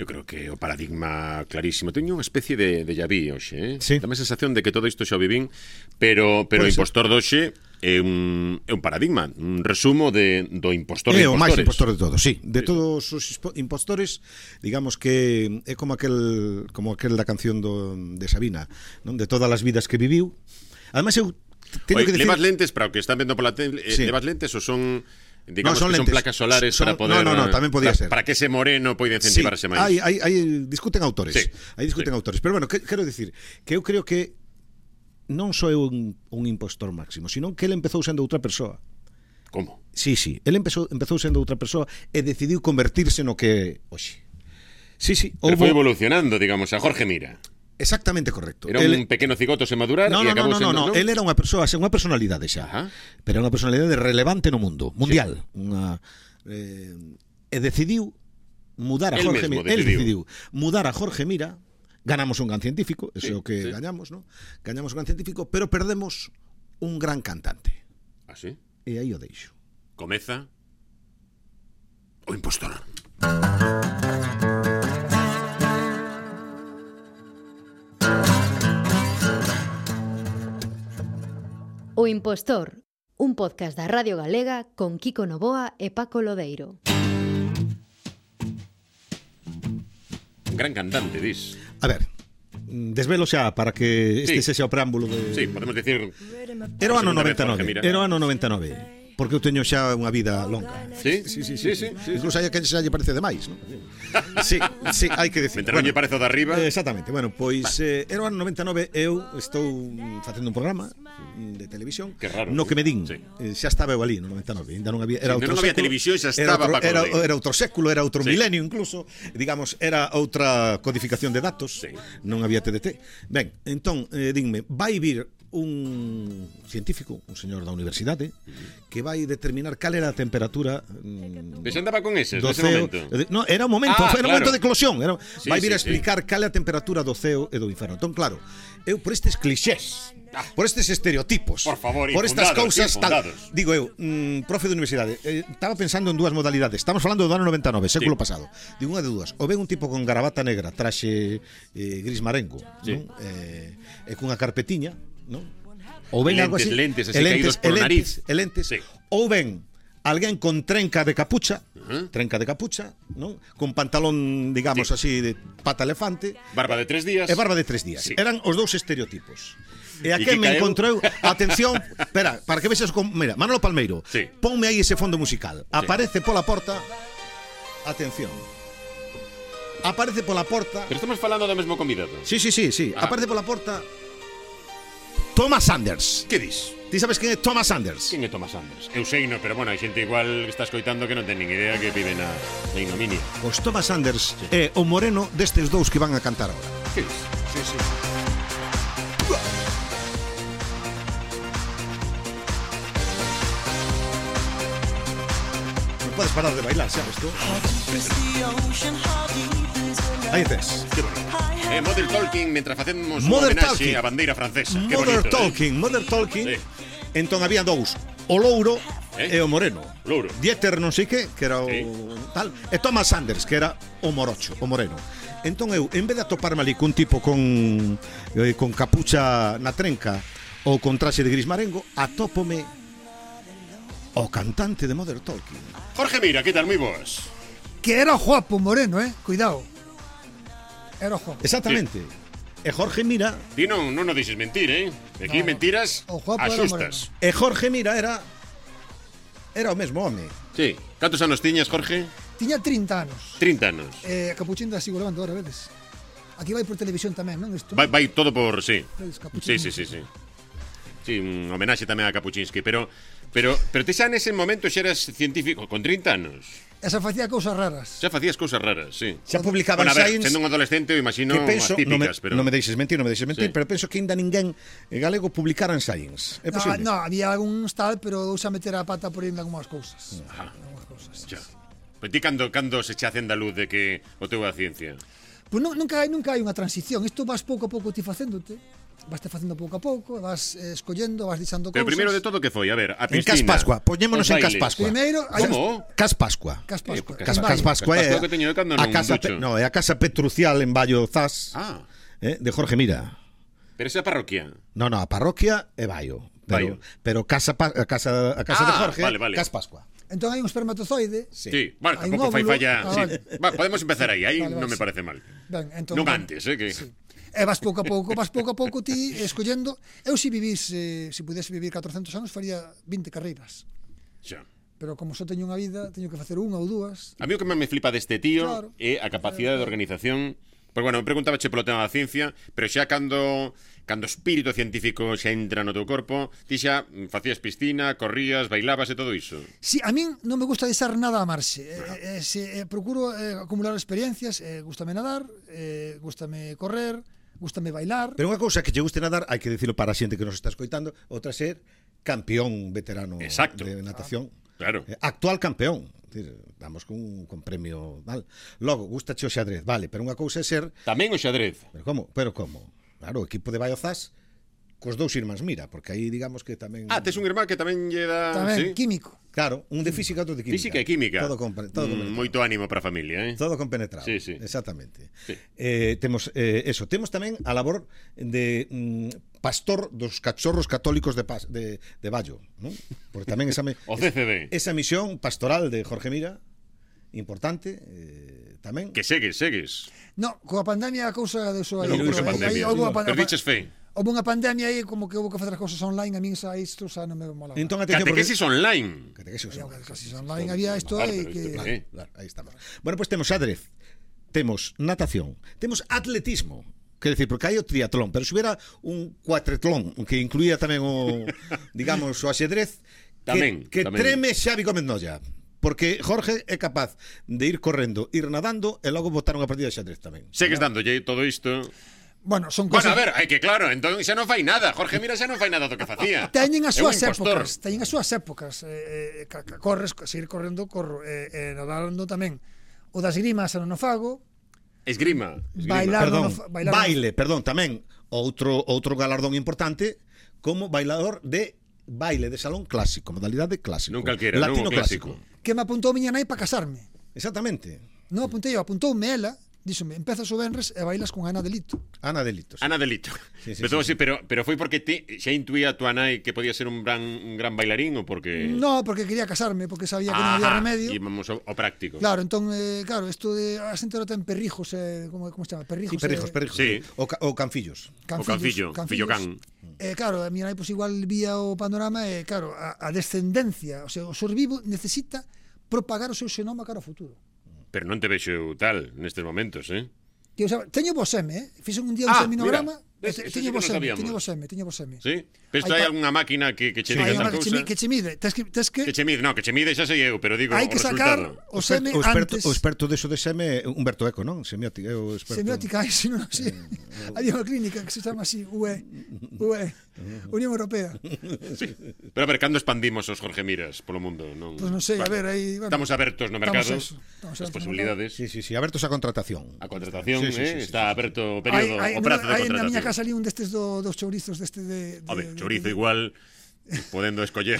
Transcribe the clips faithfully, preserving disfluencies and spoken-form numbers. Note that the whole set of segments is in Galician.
Eu creo que o paradigma clarísimo. Teño unha especie de, de déjà vu hoxe, eh? Sí. Dame a sensación de que todo isto xa o vivín, pero, pero o impostor doxe é un, é un paradigma, un resumo de, do impostor de impostores. É o máis impostor de todos, sí. De sí. todos os impostores, digamos que é como aquel como aquel da canción do, de Sabina, non? De todas as vidas que viviu. Ademais, eu teño Oye, que decir... levas lentes para o que están vendo pola tele, eh, sí. levas lentes ou son... Digamos no, son que lentes. son placas solares son, para poder... No, no, no, tamén podía para, ser. Para que ese moreno poida incentivarse sí, máis. Hai, hai, hai, discuten autores. Sí. Hai discuten sí. autores. Pero bueno, que, quero dicir que eu creo que non só é un, un impostor máximo, sino que ele empezou sendo outra persoa. Como? Sí, sí. Ele empezou, empezou sendo outra persoa e decidiu convertirse no que hoxe. Sí, sí. Pero houbo... foi evolucionando, digamos, a Jorge Mira. Exactamente correcto. Era el... un pequeno cigoto sen madurar no, e no, acabou no, no, sendo... No, no, el era unha persoa, unha personalidade xa. Ajá. Pero era unha personalidade relevante no mundo, mundial. Sí. Unha, eh, e decidiu mudar a el Jorge Mira. Decidiu. El decidiu mudar a Jorge Mira. Ganamos un gran científico, eso é sí, o que sí. gañamos, ¿no? Gañamos un gran científico, pero perdemos un gran cantante. Ah, sí? E aí o deixo. Comeza o impostor. O Impostor, un podcast da Radio Galega con Kiko Novoa e Paco Lodeiro. Un gran cantante, dis. A ver, desvelo xa para que este sí. sexa o preámbulo de... Sí, podemos decir... Era o ano noventa e nove. Era o ano noventa e nove. Porque eu teño xa unha vida longa. Sí? Sí, sí, sí, sí, sí, sí. sí Incluso hai que xa lle parece demais, ¿no? Sí, sí, hai que decir. Mentre non lle parece o de arriba. Eh, exactamente. Bueno, pois eh, era o ano noventa e nove, eu estou facendo un programa de televisión no que me din. Sí. Eh, xa estaba eu ali no noventa e nove, ainda non había, era sí, outro non había século, televisión, xa era estaba outro, Paco era, Lodeiro. era outro século, era outro sí. milenio incluso, digamos, era outra codificación de datos, sí. non había T D T. Ben, entón, eh, dinme, vai vir un científico, un señor da universidade, que vai determinar cal era a temperatura. Ves andaba con ese, nese ceo, momento. No, era o momento, ah, era o claro. momento de eclosión, era, sí, vai vir sí, a explicar sí. cal é a temperatura do ceo e do inferno. Entón, claro, eu por estes clixés, ah, por estes estereotipos, por favor, por estas cousas tal, infundados. digo eu, mm, profe de universidade, eh, estaba pensando en dúas modalidades. Estamos falando do ano noventa e nove, século sí. pasado. Digo unha de dúas, ou ven un tipo con gravata negra, traxe eh, gris marengo, sí. non? Eh, e cunha carpetiña, non? Ou ven lentes, algo así, lentes, así lentes, caídos por nariz. lentes, sí. Ou ven alguén con trenca de capucha, uh-huh. trenca de capucha, non? Con pantalón, digamos sí. así, de pata elefante, barba de tres días. E barba de tres días. Sí. Eran os dous estereotipos. E a E que que me caeu... encontrou, atención, espera, para que vexas con, mira, Manolo Palmeiro, sí. ponme aí ese fondo musical. Sí. Aparece pola porta. Atención. Aparece pola porta. Pero estamos falando do mesmo convidado. Sí, sí, sí, sí. Ah. Aparece pola porta Thomas Sanders. Que dis? Ti sabes quen é Thomas Sanders? Quen é Thomas Sanders? Eu sei, no, pero bueno, hai xente igual que está escoitando que non ten nin idea que vive na, na ignominia. Pois Thomas Sanders sí. é o moreno destes dous que van a cantar agora. Que dis? Sí, sí. Non podes parar de bailar, sabes tú? Aí tes. Que bonito. Eh, Mother Talking, mentre facemos un Mother homenaxe Talking. á bandeira francesa. Que Mother bonito, Talking, eh? Mother Talking. Sí. Entón había dous, o louro eh? e o moreno. Louro. Dieter non sei que, que era o sí. tal, e Thomas Sanders, que era o morocho, o moreno. Entón eu, en vez de atoparme ali cun tipo con eh, con capucha na trenca ou con traxe de gris marengo, atópome o cantante de Mother Talking. Jorge Mira, que tal? Moi boas. Que era guapo moreno, eh? Cuidado. Era guapo. Exactamente. Sí. E Jorge Mira... Ti non, non o dixes mentir, eh? Aquí no, mentiras asustas. E Jorge Mira era... Era o mesmo home. Sí. Cantos anos tiñas, Jorge? Tiña trinta anos. trinta anos. Eh, Capuchín da sigo levando ahora, vedes? Aquí vai por televisión tamén, non? Isto, vai, vai todo por... Sí. Sí, Capuchín. sí, sí, sí. Sí, un homenaxe tamén a Kapuczynski, pero pero pero ti xa nese momento xa eras científico con trinta anos. Esa facía cousas raras. Xa facías cousas raras, sí. Xa publicaban bueno, a ver, Science. sendo un adolescente, eu imagino penso, as típicas, no me, pero non me deixes mentir, non me deixes mentir, sí. pero penso que ainda ninguén galego publicara en Science. É posible? No, no, había algúns tal, pero eu xa meter a pata por ainda algunhas cousas. Ajá. Algunhas cousas. Ya. Pero ti cando cando se che acende a luz de que o teu é a ciencia? Pois non, nunca hai nunca hai unha transición. Isto vas pouco a pouco ti facéndote. vas te facendo pouco a pouco, vas eh, escollendo, vas deixando Pero cousas. primeiro de todo, que foi? A ver, a En piscina. Cas Pascua, poñémonos os en Cas bailes. Pascua. Primeiro, hai Como? Cas Pascua. Cas Pascua. Eh, Cas, en Cas Baio. Pascua Cas é Pascua que teño eu cando a non casa, ducho. pe, no, é a casa Petrucial en Baio Zas, Ah, eh, de Jorge Mira. pero esa parroquia. No, no, a parroquia é Baio. Pero, Baio. pero casa, pa- a casa, a casa Ah, de Jorge, vale, vale. Cas Pascua. Entón hai un espermatozoide. Sí. Sí, bueno, Hai un tampouco fai óvulo. falla. Ah, Sí. vale. Va, podemos empezar aí, aí Vale, non vale, me sí. parece mal. Ben, entón, Non ben, antes, eh, que... sí. E vas pouco a pouco, vas pouco a pouco ti escollendo. Eu se vivís, eh, se pudese vivir catrocentos anos, faría vinte carreiras. Xa. Pero como só teño unha vida, teño que facer unha ou dúas. A mí o que máis me flipa deste tío Claro. é a capacidade de organización. Porque, bueno, preguntabache polo tema da ciencia, pero xa cando cando o espírito científico xa entra no teu corpo, ti xa facías piscina, corrías, bailabas e todo iso. Si, a min non me gusta deixar nada a marxe. Eh, eh, se, eh, procuro eh, acumular experiencias, eh, gústame nadar, eh, gústame correr, gústame bailar. Pero unha cousa que che guste nadar, hai que dicilo para a xente que nos está escoitando, outra ser campeón veterano Exacto. de natación. Claro. Eh, Actual campeón. Decir, vamos con, con premio, vale. Logo, gustache o xadrez, vale, pero unha cousa é ser, Tamén o xadrez. pero como? Pero como? Claro, o equipo de Baio Zas cos dous irmáns Mira, porque aí digamos que tamén Ah, tes un irmán que tamén lle dá... Tamén, sí? químico. Claro, un de física, outro de química. Física e química. Todo con, todo Mm, compenetrado. moito ánimo para a familia, eh? Todo compenetrado. Sí, sí. Exactamente. Sí. Eh, temos eh, eso, temos tamén a labor de mm, pastor dos cachorros católicos de Pas, de de Baio, ¿no? Porque tamén esa me, O C C D. esa misión pastoral de Jorge Mira importante eh, tamén. Que segues, segues. No, coa pandemia a cousa de eso aí. Pero Pero cousa aí- pandemia. aí houve unha pan- Pero diches fe. Houve unha pandemia aí como que houve que facer as cousas online, a min xa isto xa non me molaba. Entón, atención, porque- Catequesis online. Catequesis Había online. catequesis online, había isto Claro, aí pero que... isto Claro, Eh. claro, aí estamos. Bueno, pues temos xadrez, temos natación, temos atletismo. Quer decir, porque hai o triatlón, pero se hubiera un cuatretlón que incluía tamén o, digamos, o axedrez, Tamén, que, que tamén. treme Xavi Gómez Nolla. Porque Jorge é capaz de ir correndo, ir nadando e logo botar unha partida de xadrez tamén. Segues dándolle todo isto. Bueno, son Bueno, cosas... a ver, é que claro, entón xa non fai nada. Jorge Mira xa non fai nada do que facía. Teñen as É un súas impostor. épocas, teñen as súas épocas. Eh, eh, ca- ca- corres, seguir correndo, corro, eh, eh, nadando tamén. O das grimas non o fago. Esgrima. esgrima. Bailar. Perdón, no fa- bailar baile, perdón, tamén outro outro galardón importante como bailador de baile de salón clásico, modalidade clásico. Non calquera, latino non o clásico. Que me apuntou miña nai para casarme. Exactamente. Non apuntei eu, apuntoume ela, díxome, empezas o venres e bailas con Ana Delito. Ana Delitos. Ana Delito. Sí, sí, Empezou sí, así, pero, pero foi porque ti xa intuía a tua nai que podía ser un gran, un gran bailarín ou porque... No, porque quería casarme, porque sabía que non había Ajá, remedio. E vamos ao, ao práctico. Claro, entón, eh, claro, isto de a xente ahora ten perrijos, eh, como, como se chama? Perrijos, Sí, perrijos, eh, perrijos. Sí. O, ca, o canfillos. O cancillo, fillo can. Eh, claro, a mi nai pues, igual vía o panorama e, eh, claro, a, a descendencia, o sea, o ser vivo necesita propagar o seu xenoma cara ao futuro. Pero non te vexo eu tal nestes momentos, eh? Que, o sea, teño voseme, eh? Fixen un día un Ah, seminograma, mira, e ves, te- eso teño sí que non voseme, sabíamos. teño voseme, teño voseme. Sí? Pero isto Hai hai pa- algunha máquina que, que che Hai diga unha esa que che, cousa? mi- que che mide, tes que, tes que, Que che mide, no, que che mide xa sei eu, pero digo hai o que sacar resultado. o seme o experto, antes. o experto deso de seme é Humberto Eco, non? Semiótica, é o experto. Semiótica, hai, sino, sí. Había unha clínica que se chama así, U E, U E, Unión Europea. Pero a ver, cando expandimos os Jorge Miras polo mundo? Non, Pois pues non sei, a ver, aí, bueno, Estamos abertos no mercado, estamos eso, estamos as abertos no posibilidades. Sí, sí, sí, abertos a contratación. A contratación, Sí, sí, eh? sí, sí, Está sí, aberto o Hai, período, hai, o prazo de hai na contratación. miña casa ali un destes do, dos chourizos deste de, de, Home, de- chorizo de- igual podendo escoller.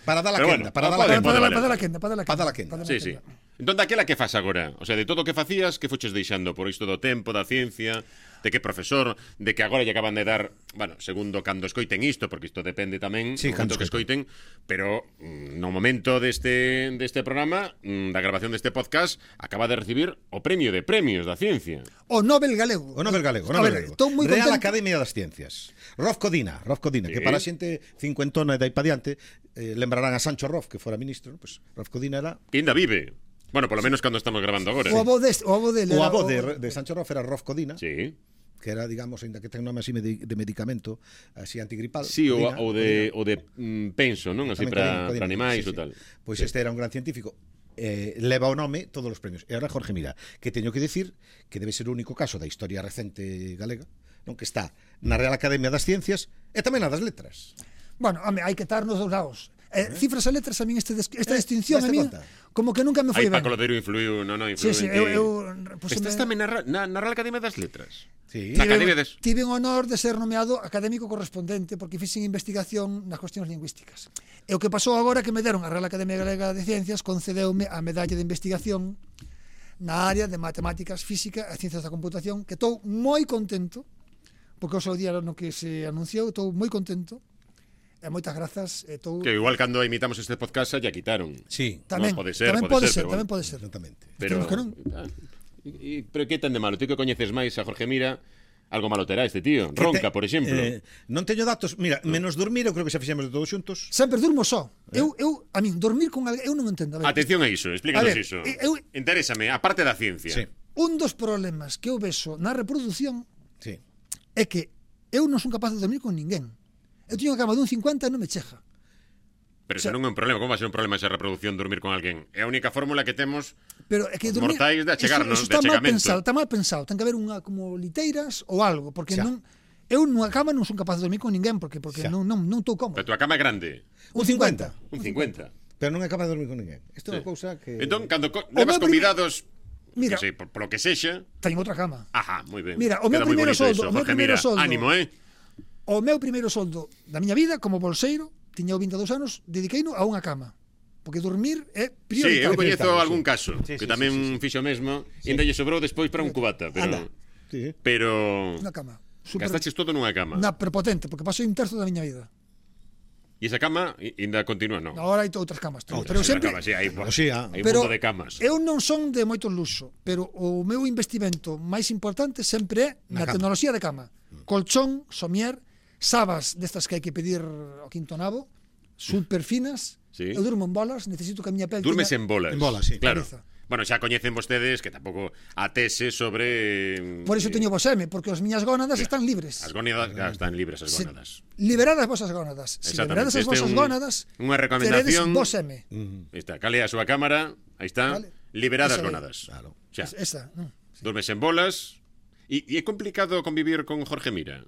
Para dar a Pero quenda, bueno, para dar pode, a Para, quenda. pode para, valer. para dar a quenda, para dar a Para dar quenda. a quenda. para dar a Sí, sí. quenda. Entón, daquela que fas agora? O sea, de todo o que facías, que fuches deixando por isto do tempo, da ciencia, de que profesor, de que agora lle acaban de dar, bueno, segundo cando escoiten isto, porque isto depende tamén Sí, do cando momento que escoiten, pero mm, no momento deste deste programa, mm, da grabación deste podcast, acaba de recibir o premio de premios da ciencia. O Nobel galego. O Nobel galego, o A Nobel ver, galego. estou moi Real contento. Academia das Ciencias. Rolf Codina, Rolf Codina, Sí. que para a xente cincuentona e dai pa diante, eh, lembrarán a Sancho Rolf, que fora ministro, pues Rolf Codina era Que ainda vive. Bueno, polo menos cando estamos grabando agora. O avó deste, o avó dele. o era avó de, de Sancho Rolf era Rolf Codina, Sí. que era, digamos, ainda que ten nome así de, de medicamento, así antigripal. Sí, o, Codina, o de o de mm, penso, non? Así Tamén para Codina, Codina. para animais Sí, ou sí. tal. Pois este era un gran científico. Eh, leva o nome todos os premios. E agora Jorge Mira, que teño que decir que debe ser o único caso da historia recente galega, non, que está na Real Academia das Ciencias e tamén na das Letras. Bueno, home, hai que estar nos dous lados. Eh, cifras e letras a min este des, esta Eh, distinción a daste min conta? como que nunca me foi Aí ben. Paco Lodeiro influiu, non, non, influiu Sí, sí, en eu, ti. eu Estás puseme- tamén na, Ra- na, na Real Academia das Letras. Sí. Na Academia des... tive o honor de ser nomeado académico correspondente porque fixen investigación nas cuestións lingüísticas. E o que pasou agora que me deron a Real Academia Galega de Ciencias concedeume a medalla de investigación na área de matemáticas, física e ciencias da computación, que estou moi contento porque o seu día no que se anunciou, estou moi contento. E moitas grazas, estou Que igual cando imitamos este podcast ya quitaron. Sí, tamén, No, pode ser, tamén pode pode ser, ser, pero tamén bueno. pode ser. exactamente. Pero, Temos que non. ah, e, e, pero que ten de malo? Ti que coñeces máis a Jorge Mira, algo malo terá este tío. Que Ronca, te- por exemplo. Eh, non teño datos, mira, menos dormir, eu creo que xa fixemos de todos xuntos. Sempre durmo só. Eu, eu, a min, dormir con alguén, eu non entendo. A ver, Atención a iso, explícanos A ver, iso. eu- Interésame, a parte da ciencia. Sí. un dos problemas que eu vexo na reproducción Sí. é que eu non son capaz de dormir con ninguén. Eu teño a cama dun cincuenta e non me cheja. Pero O sea- eso non é un problema. Como vai ser un problema esa reproducción dormir con alguén? É a única fórmula que temos. Pero é que Os dormir, mortais de achegarnos, eso, eso de está mal achegamento. pensado, está mal pensado. Ten que haber unha como liteiras ou algo, porque Xa. non eu nunha cama non son capaz de dormir con ninguén porque porque Xa. non non non estou cómodo. Pero a túa cama é grande. Un cincuenta. Un cincuenta. Pero non é capaz de dormir con ninguén. Isto é Sí. unha cousa que... Entón, cando co- O levas meu primer- convidados, Mira. que sei, por, por lo que sexa, Teño outra cama. ajá, moi ben. Mira, o meu Queda moi primeiro bonito soldo, iso, o meu Jorge, primeiro mira, soldo. ánimo, eh? O meu primeiro soldo da miña vida como bolseiro, tiña vinte e dous anos, dediqueino a unha cama. Porque dormir é Sí, prioritario. eu coñezo prioritario, algún sí. caso Sí, que sí, tamén sí, sí, sí. fixo o mesmo e ainda lle sobrou despois para un cubata, pero Anda. Sí, sí. pero Unha cama. Super, gastaches todo nunha cama. na prepotente, porque pasou un terzo da miña vida. E esa cama i- ainda continúa, non? Agora hai outras camas. Teño. Outras, Pero Esa sempre, cama, sí, hai, Pero sí, ah. hai un pero mundo de camas. eu non son de moito luxo, pero o meu investimento máis importante sempre é Na na, cama. tecnoloxía de cama. Colchón, somier, sabas destas que hai que pedir ao quinto nabo, super finas. Sí. Eu durmo en bolas, necesito que a miña pel Durmes teña- en bolas. En bolas, sí. Claro. Cabeza. Bueno, xa coñecen vostedes que tampouco a tese sobre... Por iso eh, teño voseme, porque as miñas gónadas están libres. As gónadas, claro, están libres as Se- gónadas. Liberadas as vosas gónadas. Se Exactamente. liberades as Este é vosas un- gónadas, unha recomendación. teredes voseme. Aí está, cale a súa cámara, aí está, Vale. liberadas Esa aí. gónadas. Claro. Xa, Esa, non. dormes en bolas. E, e é complicado convivir con Jorge Mira.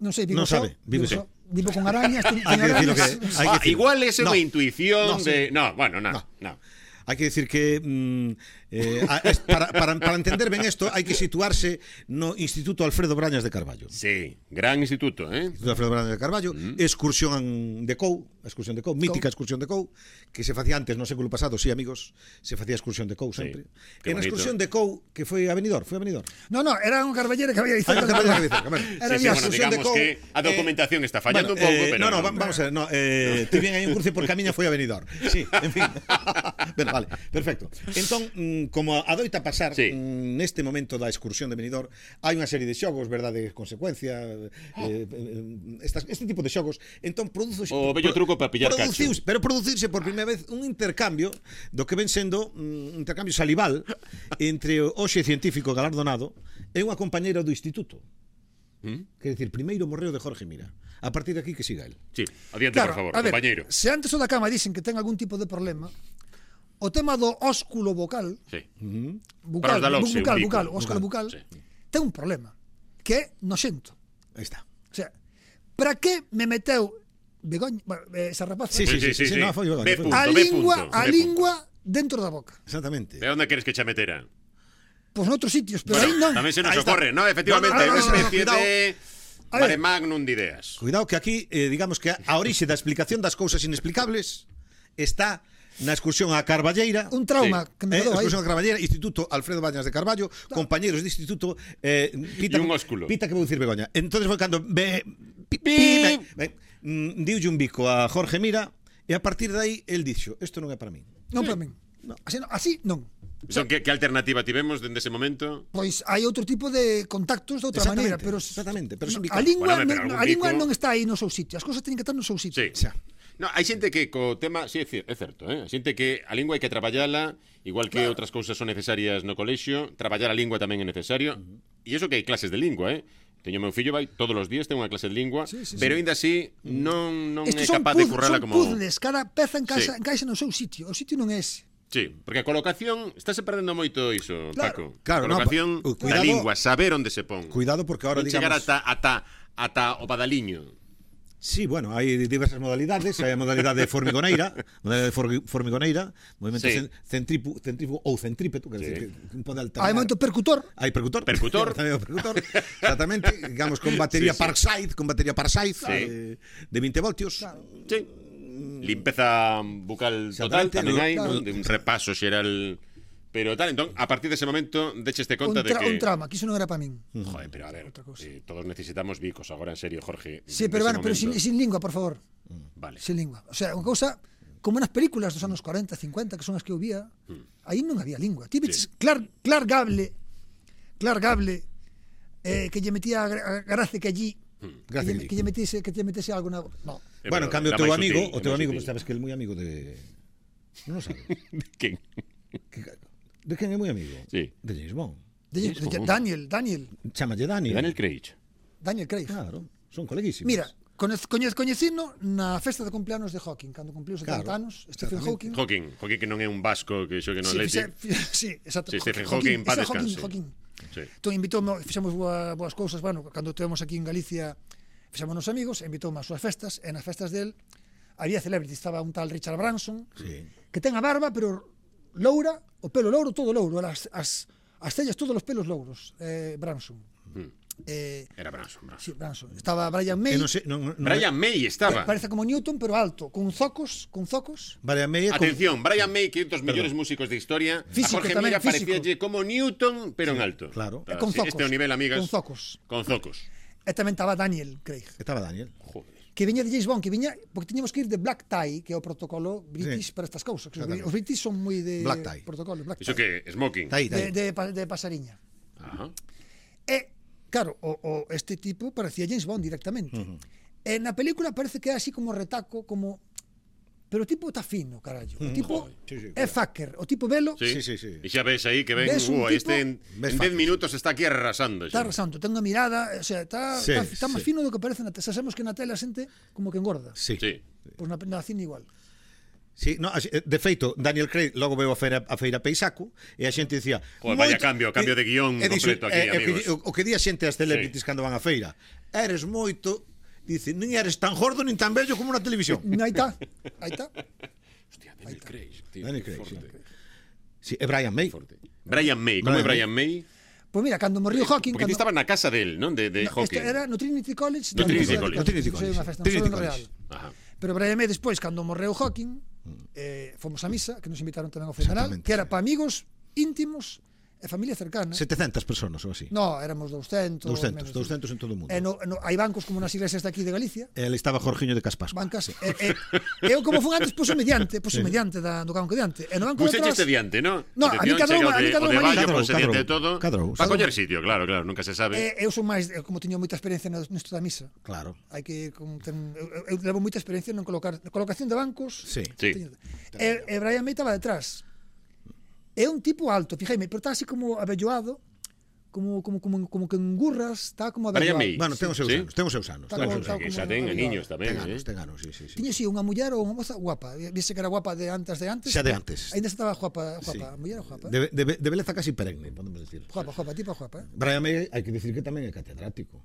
Non sei, vivo Non só, sabe, vive vivo só. só. Vivo con arañas, teño, Hai teño que decir lo arañas. que- Hai Ah, decir- igual é No. unha intuición No, sí. de... No, bueno, no, No. no. Hai que decir que mm, eh, a- es- para, para, para entender ben isto hai que situarse no Instituto Alfredo Brañas de Carballo. Sí, gran instituto, eh? Instituto Alfredo Brañas de Carballo, Mm. excursión de Cou, excursión de Cou, mítica excursión de Cou, que se facía antes no século pasado, sí, amigos, se facía excursión de Cou Sí, sempre. qué En a bonito. excursión de Cou, que foi a Benidorm, foi a Benidorm. No, no, era un carballera que había Ah, cerca que de- había que decir, a ver. Era Sí, sí, viaje. bueno, excursión de digamos Cou, que a documentación está fallando un pouco, eh, pero no, no, no. va- vamos a ver, no, eh, ti bien hai un cruce porque a miña foi a Benidorm. Sí, en fin. Bueno, vale, perfecto. Entón, mm, como adoita pasar Sí. mm, neste momento da excursión de Benidorm, hai unha serie de xogos, verdade, consecuencia, eh, eh, estas, este tipo de xogos. Entón produzo O bello truco para pillar cacho. Pero producirse por primeira vez un intercambio do que ven sendo mm, un intercambio salival entre o hoxe científico galardonado e unha compañeira do instituto. ¿Mm? Quer dicir, primeiro morreo de Jorge Mira. A partir de aquí que siga el. Sí, adiante, Claro, por favor, a ver, compañeiro. se antes o da cama dicen que ten algún tipo de problema, o tema do ósculo vocal, Sí. Para bucal, os da Loxe, bucal, un bico, bucal, ósculo bucal, Sí. ten un problema, que é noxento. Aí está. O sea, para que me meteu Begoña, bueno, esa rapaza, Sí, sí, sí, sí, sí, no, foi Begoña, Ve foi punto, a ve lingua, punto, a ve lingua dentro da boca. Exactamente. De onde queres que xa metera? Pois noutros sitios, pero Bueno, aí non. tamén se nos Ahí está. ocorre, no, efectivamente, No, no, hai no, unha no, no, especie cuidado. de A ver. mare magnum de ideas. Cuidado que aquí, eh, digamos que a orixe da explicación das cousas inexplicables está na excursión a Carballeira. Un trauma Sí. que me Eh, quedou aí. excursión a Carballeira, Instituto Alfredo Bañas de Carballo, compañeros de instituto, eh, pita, E un ósculo. Pita que vou dicir Begoña. Entonces foi cando ve, pi, pi, Pi. ve, mm, diulle un bico a Jorge Mira e a partir de aí el dixo, isto non é para min. Non para min. Así non. Así non. Son, que, que alternativa tivemos dende ese momento? Pois hai outro tipo de contactos de outra Exactamente, maneira, pero exactamente, pero son no, bicados. a lingua, Bueno, pero non, algún a lingua bico- non está aí no seu sitio. As cousas teñen que estar no seu sitio. Sí. Xa. No, hai xente que co tema, sí, é cier- é certo, eh? Hai xente que a lingua hai que traballala, igual que Claro. outras cousas son necesarias no colexio, traballar a lingua tamén é necesario. E iso que hai clases de lingua, eh? Teño meu fillo vai todos os días ten unha clase de lingua, Sí, sí, pero sí. aínda así non non é Estes son, capaz de puz- currala son como puzzles, cada peza encaixa, Sí. encaixa no seu sitio. O sitio non é ese. Sí, porque a colocación estáse perdendo moito iso, Claro. Paco. Claro, a colocación no, pa- da cuidado- lingua, saber onde se pon. Cuidado porque ahora non chegar digamos ata ata ata o badaliño. Sí, bueno, hai diversas modalidades, hai a modalidade formigoneira, modalidade for- formigoneira, movimento Sí. sí. centrífugo, centrífugo ou centrípeto, que, Sí. sí. que pode alternar. Hai momento percutor. Hai percutor. Percutor. Tamén o percutor. Exactamente, digamos con batería Sí, sí. Parkside, con batería Parkside Sí. eh, de veinte voltios. Claro. Sí. Limpeza bucal total Exactamente, tamén no, hai, claro. non? De un repaso xeral. Pero tal, entón, a partir dese momento decheste Un, conta de tra que un trama, que iso non era para min. Joder, pero a ver, Outra cosa. eh, todos necesitamos bicos agora, en serio, Jorge. Sí, Nese pero bueno, pero sin, momento. sin lingua, por favor. Vale. Sin lingua. O sea, unha cousa como nas películas dos anos cuarenta, cincuenta, que son as que eu vía, aí non había lingua. Ti veches clar, clar Gable, clar Gable, eh, que lle metía a, gra- a gracia que allí, que Gracia lle, que que lle metese, que lle metese algo na... No. Eh, Bueno, en pero cambio o era teu máis amigo, sutil, o era teu máis amigo, sutil. pues, sabes que é moi amigo de Non o sabes. Quen? Que- De quen é moi amigo? Sí. De James Bond. De, de, de, Daniel, Daniel, Chámalle Dani. Daniel Craig. Daniel Craig. Claro, son coleguísimos. Mira, coñez, coñez, coñecino na festa de cumpleanos de Hawking, cando cumpliu setenta Claro, anos, Stephen exactamente. Hawking. Hawking, Hawking que non é un vasco que xogue no Sí, Atleti. fixe- sí, exacto. Sí, Stephen Hawking, paz ese Hawking, descanse. Hawking. Sí. Entón invitoume, fixemos boa, boas cousas, bueno, cando estivemos aquí en Galicia, fixemos nos amigos, invitoume ás súas festas, e nas festas del había celebrities, estaba un tal Richard Branson, Sí. que ten a barba, pero loura, o pelo louro, todo louro, as, as, as cellas, todos os pelos louros, eh, Branson. Mm. Eh, Era Branson, Branson. sí, Branson. Estaba Brian May, E non sei, non, non, Brian May estaba. que parece como Newton, pero alto, con zocos, con zocos. Brian May é con- Atención, Brian May, que é un dos mellores músicos de historia. Físico a Jorge tamén, Mira físico. parecíalle como Newton, pero en alto. claro. Ah, Con sí, zocos. Este é o nivel, amigas. Con zocos. Con zocos. E tamén estaba Daniel Craig, Estaba Daniel. Joder. que viña de James Bond, que viña porque tiñamos que ir de black tie, que é o protocolo british Sí. para estas cousas. Que os, Exactamente. os british son moi de Black tie. protocolo, black Iso tie. que smoking. Está aí, está De, aí. de, pa- de pasariña. Ajá. E, claro, o, o este tipo parecía James Bond directamente. Uh -huh. E na película parece que é así como retaco, como... Pero o tipo está fino, carallo. O tipo Sí, sí, é fucker. O tipo velo, Sí. Sí, sí, sí. E xa ves aí que ven, Ves un uh, tipo- este en, Ves en dez fácil. minutos está aquí arrasando. está xa. santo, ten unha mirada, o sea, está, Sí, está, está máis sí. fino do que parece na tele. Sabemos que na tele a xente como que engorda. Sí. Sí. Pois na, na cine igual. Sí, no, así, de feito, Daniel Craig logo veo a feira, a feira Peisaco e a xente dicía Joder, vaya cambio, cambio de guión e dixo, completo aquí, eh, amigos. O, o que di a xente as celebrities Sí. cando van á feira, eres moito, dice, nin eres tan gordo nin tan bello como na televisión. Aí está, aí está. Hostia, Daniel Craig, tío. Daniel qué Craig, sí. forte, Sí, e Brian May. forte. Brian May, como é Brian Brian May? Pois mira, cando morriu Hawking, Porque ti cando, estaba na casa del, non? De, de no, Hawking. este era no Trinity College, No da Trinity Universidade de College. No Trinity Cambridge, College. unha festa, non Trinity foi no College. Real. Ajá. Pero Brian May despois, cando morreu Hawking, eh, fomos a misa, que nos invitaron tamén ao funeral, Exactamente, que era sí. para amigos íntimos e familia cercana. setecentas personas ou así. No, éramos doscientos. doscientos, menos. doscientos en todo o mundo. E no, no, hai bancos como nas iglesias de aquí de Galicia, E ali estaba Jorgiño de Caspasco. bancas, e, e, e eu como fun antes, puxo mediante, puxo mediante da, do banco diante. E no banco Puse de atrás, chiste diante, ¿no? No, a mí Atención, cadrou- chega o a mí de, cadrou o de malín. Bayo, Cadrou, procedente de cadrou, todo. cadrou. Para coller sitio, claro, claro, nunca se sabe. e, eu son máis, eh, como teño moita experiencia no- nisto da misa, Claro. hai que como ten, eu, eu levo moita experiencia en colocar na colocación de bancos. Sí. Sí. Teño- E, e Brian May estaba detrás. É un tipo alto, fijéme, pero está así como avelloado, como como como como que engurras, está como Brian avelloado. May. Bueno, ten os seus Sí. anos, ten os seus anos. Está ten os como- seus está anos. Que como xa ten avelloado. niños tamén, Ten anos, eh? ten anos, sí, sí, sí. Tiña así unha muller ou unha moza guapa. Viste que era guapa de antes de antes. Xa de antes. Ainda estaba guapa, guapa. Sí. A muller era guapa. De, Eh? de, de beleza casi perenne, podemos decir. Guapa, guapa, tipo guapa. Eh? Brian May, hai que decir que tamén é catedrático.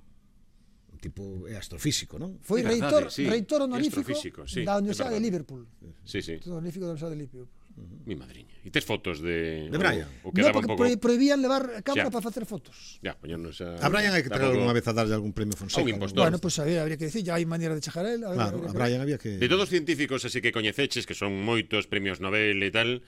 Un tipo é astrofísico, non? Foi É reitor, verdade, sí. reitor É honorífico astrofísico, sí, da é Universidade de verdade. Liverpool. Sí, sí. Reitor honorífico da Universidade de Liverpool. Mi madriña. E tes fotos de... De Brian? O, o No, quedaba porque un pouco... pro- prohibían levar cámara Xa. para facer fotos. Ya, poñernos a... A Brian hai que traer tampouco- algunha vez a darlle algún premio Fonseca. A un impostor. Bueno, pues a ver, habría que decir, ya hai maneira de chejar a él. A ver, Claro, a habría que- Brian había que... De todos os científicos así que coñeceches, que son moitos premios Nobel e tal,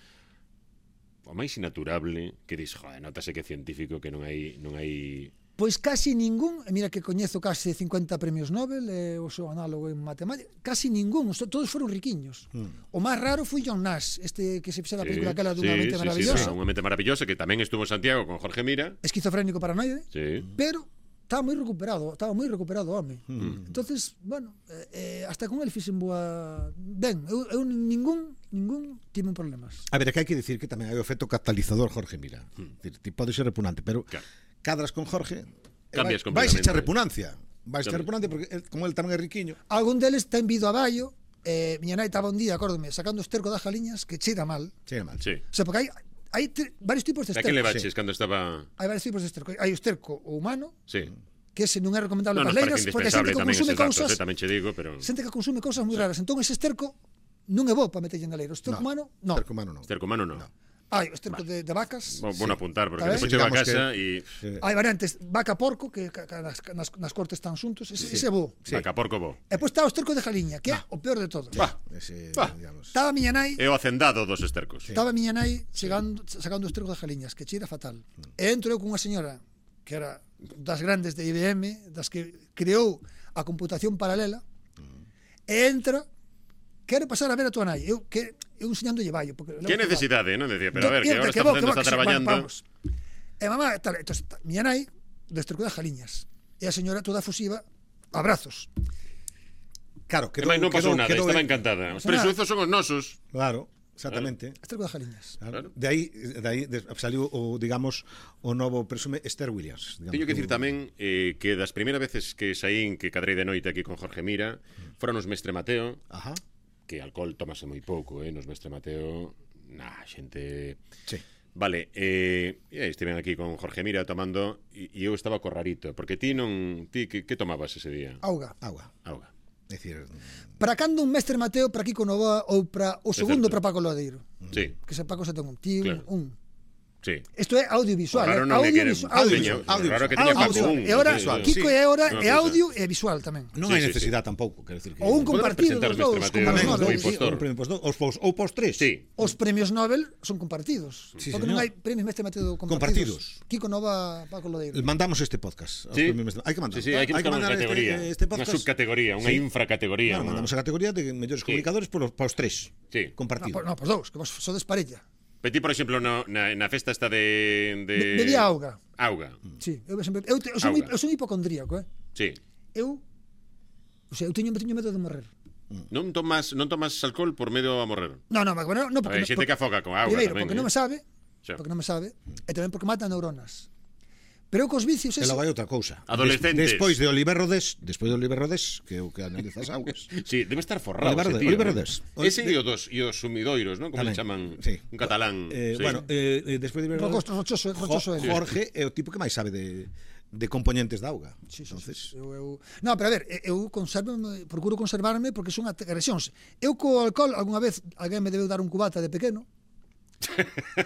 o máis inaturable que dis, joder, notase que é científico, que non hai non hai Pois casi ningún, e mira que coñezo case cincuenta premios Nobel, e o seu análogo en matemática, casi ningún, os- todos foron riquiños. Hmm. O máis raro foi John Nash, este que se fixera a Sí, película aquela dunha sí, mente sí, maravillosa, sí, unha mente maravillosa que tamén estuvo en Santiago con Jorge Mira. esquizofrénico paranoide, Sí. pero estaba moi recuperado, estaba moi recuperado o home. Hmm. Entonces, bueno, eh, eh, hasta con el fixen boa ben, eu, eu ningún ningún tiven problemas. A ver, é que hai que decir que tamén hai o efecto catalizador Jorge Mira. Hmm. Decir, ti pode ser repugnante, pero Claro. cadras con Jorge, e Cambias vai, vais completamente. echar repugnancia. Vais echar Cambias. repugnancia porque el, como el tamén é riquiño. Algún deles ten vido a Baio, eh, miña nai estaba un día, acórdome, sacando o esterco das galiñas que cheira mal. Chega mal. Sí. O sea, porque hai hai tre- varios tipos de A que esterco. le baches cando estaba... Hai varios tipos de esterco. Hai o esterco o humano, Sí. que ese non é recomendable Non, para nos as leiras, parece porque a xente indispensable que tamén consume eses datos, cousas, eh, tamén che digo, pero... xente que consume cousas moi raras. Entón, ese esterco non é bo para meterlle na leira. O esterco No, humano, non. Esterco humano non. Esterco humano non. No. Hai o esterco de, de vacas, Bo- Bueno apuntar, porque Está ben? despois chego a Digamos casa que- e... Sí. hai variantes, vaca porco, que ca- ca- nas, nas, nas cortes están xuntos, ese, ese é bo. Sí. Vaca, porco, bo. E pois está o esterco de jaliña, que é o peor de todo. Va. Ese, Va. digamos. Estaba a miña nai, É o hacendado dos estercos. estaba a miña nai chegando, sacando o esterco de jaliñas, que cheira fatal. E entro eu con unha señora que era das grandes de I B M, das que creou a computación paralela, e entra, quero pasar a ver a tua nai. Eu, que, eu enseñándolle vallo. Porque Que necesidade, non? Decía, pero a ver, que Mira, agora está bo, facendo, bo, está que sí, traballando... bueno, vamos. E mamá, tal, entón, miña nai, do esterco de jaliñas. E a señora toda fusiva, abrazos. Claro, Que quedou, máis non pasou quedou, nada, quedou, estaba en- encantada. Os Pasa nada. presuizos son os nosos. Claro, exactamente. Esterco de jaliñas. Claro. Claro. De aí, de aí de- saliu o, digamos, o novo presume Esther Williams. Digamos, Teño que dicir un- tamén eh, que das primeiras veces que saín, que cadrei de noite aquí con Jorge Mira, foron os Mestre Mateo, Ajá. que alcohol tomase moi pouco, eh, nos Mestre Mateo, nah, xente... Sí. Vale, eh, e estiven aquí con Jorge Mira tomando e, e eu estaba co rarito, porque ti non... Ti, que, que tomabas ese día? Auga. Agua. Auga. É dicir, Para cando un mestre Mateo para Kiko Novoa ou para o segundo certo. para Paco Lodeiro? Sí, Que se Paco se ten un tío, Claro. un. sí. Isto é audiovisual, O raro eh? non é que- audiovisual, Teño- audiovisual. o raro que teña Paco Audiovisual. un. E ahora sí, sí. Kiko Sí. é ahora Unha é cousa. audio e visual tamén. non Sí, hai sí, necesidade tampouco, quero dicir que Ou un Podemos compartido presentar dos os dous, Mestre como Mateo, os tamén, o Nobel. sí, impostor. un premio impostor, os pos, ou pos tres. Sí. Os premios Nobel son compartidos. Sí, porque non señor. hai premios mestre Mateo Compartidos. compartidos. Kiko Nova, Paco Lodeiro. Mandamos este podcast. aos Sí. premios Mestre- Hai que mandar. Sí, sí, hai que buscar unha mandar categoría, este, este unha podcast. subcategoría, unha Sí. infracategoría. Claro, unha- mandamos a categoría de mellores Sí. comunicadores para os tres. Sí. No, Compartido. por, no, por dous, que vos sodes parella. Pero ti, por exemplo, no, na, na festa esta de... de... Be- Bebía auga. Auga, Sí, eu sempre eu, te, eu, son, Auga. eu son hipocondríaco, eh. sí. Eu O sea, eu teño, teño medo de morrer. Non tomas, non tomas alcohol por medo a morrer. No, no, bueno, no, A porque ver, xente que afoga con auga primeiro, tamén. porque eh. non me sabe, Xa. porque non me sabe, e tamén porque mata neuronas. Pero eu cos vicios E ese, logo hai outra cousa. Adolescentes. Des, despois de Oliver Rodés, despois de Oliver Rodés, que é o que analiza as augas. Sí, debe estar forrado Oliver ese Rodés, tío. Oliver ¿no? Rodés. Ese e os dos e os sumidoiros, ¿no? Como Tamén, le chaman? sí. Un catalán. Eh, sí. Bueno, eh, eh, despois de Oliver Rodés, Rocosto, rochoso, rochoso Jo- ele. Jorge é o tipo que máis sabe de, de componentes da auga. Sí, sí, Entonces, sí, eu, eu... No, pero a ver, eu conservo, procuro conservarme porque son agresións. Eu co alcohol, algunha vez alguén me debeu dar un cubata de pequeno.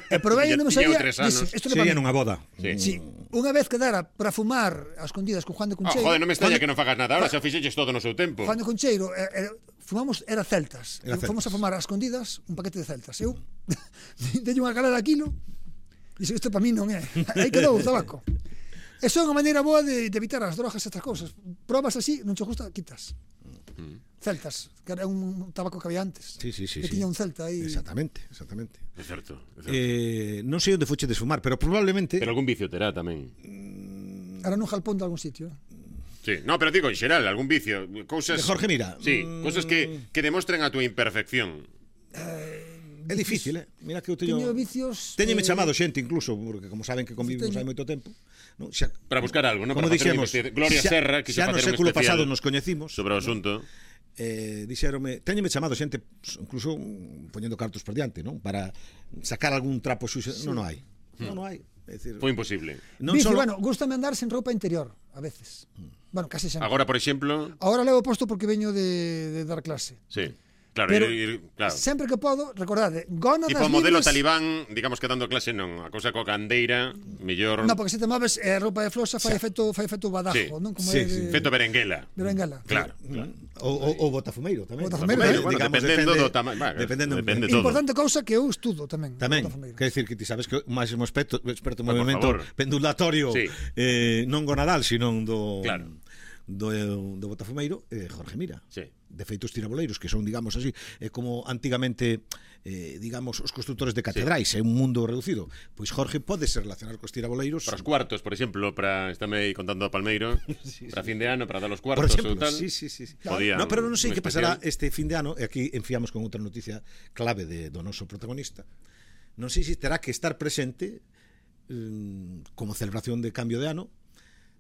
E probei e non me Tiña sabía. tres anos. Dixe, isto non é sería para mí. nunha boda. Sí. Sí, unha vez quedara para fumar a escondidas con Juan de Oh, Concheiro. joder, non me extraña Juan de- que non fagas nada ahora, se o fixeches todo no seu tempo. Juan de Concheiro, eh, eh, fumamos, era celtas. Era Fomos celtas. a fumar a escondidas un paquete de celtas. Eu dei unha calada a kilo, dixo, isto para mí non é. Aí quedou o tabaco. Eso é unha maneira boa de, de evitar as drogas e estas cousas. Probas así, non che gusta, quitas. Celtas, que era un tabaco que había antes. Sí, sí, sí, que sí. tiña un celta aí. Exactamente, exactamente. É certo, é certo. Eh, non sei onde fuche desfumar, pero probablemente Pero algún vicio terá tamén. Era nun jalpón de algún sitio. Sí, no, pero digo, en xeral, algún vicio, cousas... De Jorge Mira. Sí, Mm. cousas que, que demostren a túa imperfección. é difícil, eh? Mira que eu teño Teño vicios... Téñeme eh, chamado xente incluso, porque como saben que convivimos teño- hai moito tempo, non? Xa, Para buscar algo, ¿no? como Para facer un dixemos, investigación. Gloria xa, Serra, que xa no facer un século especial pasado nos coñecimos, sobre o asunto. eh, dixéronme, téñeme chamado xente incluso mm, poñendo cartos por diante, non? Para sacar algún trapo xuxo, sí. non, non hai. Non, non hai. É dicir, Foi imposible. non Vicio, solo bueno, gústame andar sen roupa interior, a veces. Bueno, casi sempre. Agora, por exemplo, Agora levo posto porque veño de, de dar clase. sí. Claro, Pero ir, ir, claro. sempre que podo, recordade, gónadas Tipo modelo libres... talibán, digamos que dando clase non, a cousa coa candeira, mellor No, porque se te moves eh, roupa de flosa fai Xa. efecto fai efecto badajo, Sí. non? Como Sí, é de, sí. feito berenguela. de Bengala. Claro, claro. o, o, o botafumeiro tamén. Botafumeiro, Bueno, eh, bueno, dependendo do tama- bueno, dependendo depende do- todo. Importante cousa que eu estudo tamén. Tamén, Botafumeiro. quer decir que ti sabes que o máximo experto, experto en Por movimento favor. pendulatorio Sí. eh, non gonadal, sino do Claro. do, do Botafumeiro, eh, Jorge Mira. Sí. De feito os tiraboleiros, que son, digamos así, é como antigamente eh, digamos, os constructores de catedrais, é un mundo reducido. Pois Jorge pode se relacionar cos tiraboleiros. Para os cuartos, por exemplo, para estame aí contando a Palmeiro, Sí, para sí. fin de ano, para dar os Por cuartos exemplo, ou tal. sí, sí, sí. sí. Podían No, pero non sei un que pasará especial. este fin de ano, e aquí enfiamos con outra noticia clave de do noso protagonista. Non sei se terá que estar presente eh, como celebración de cambio de ano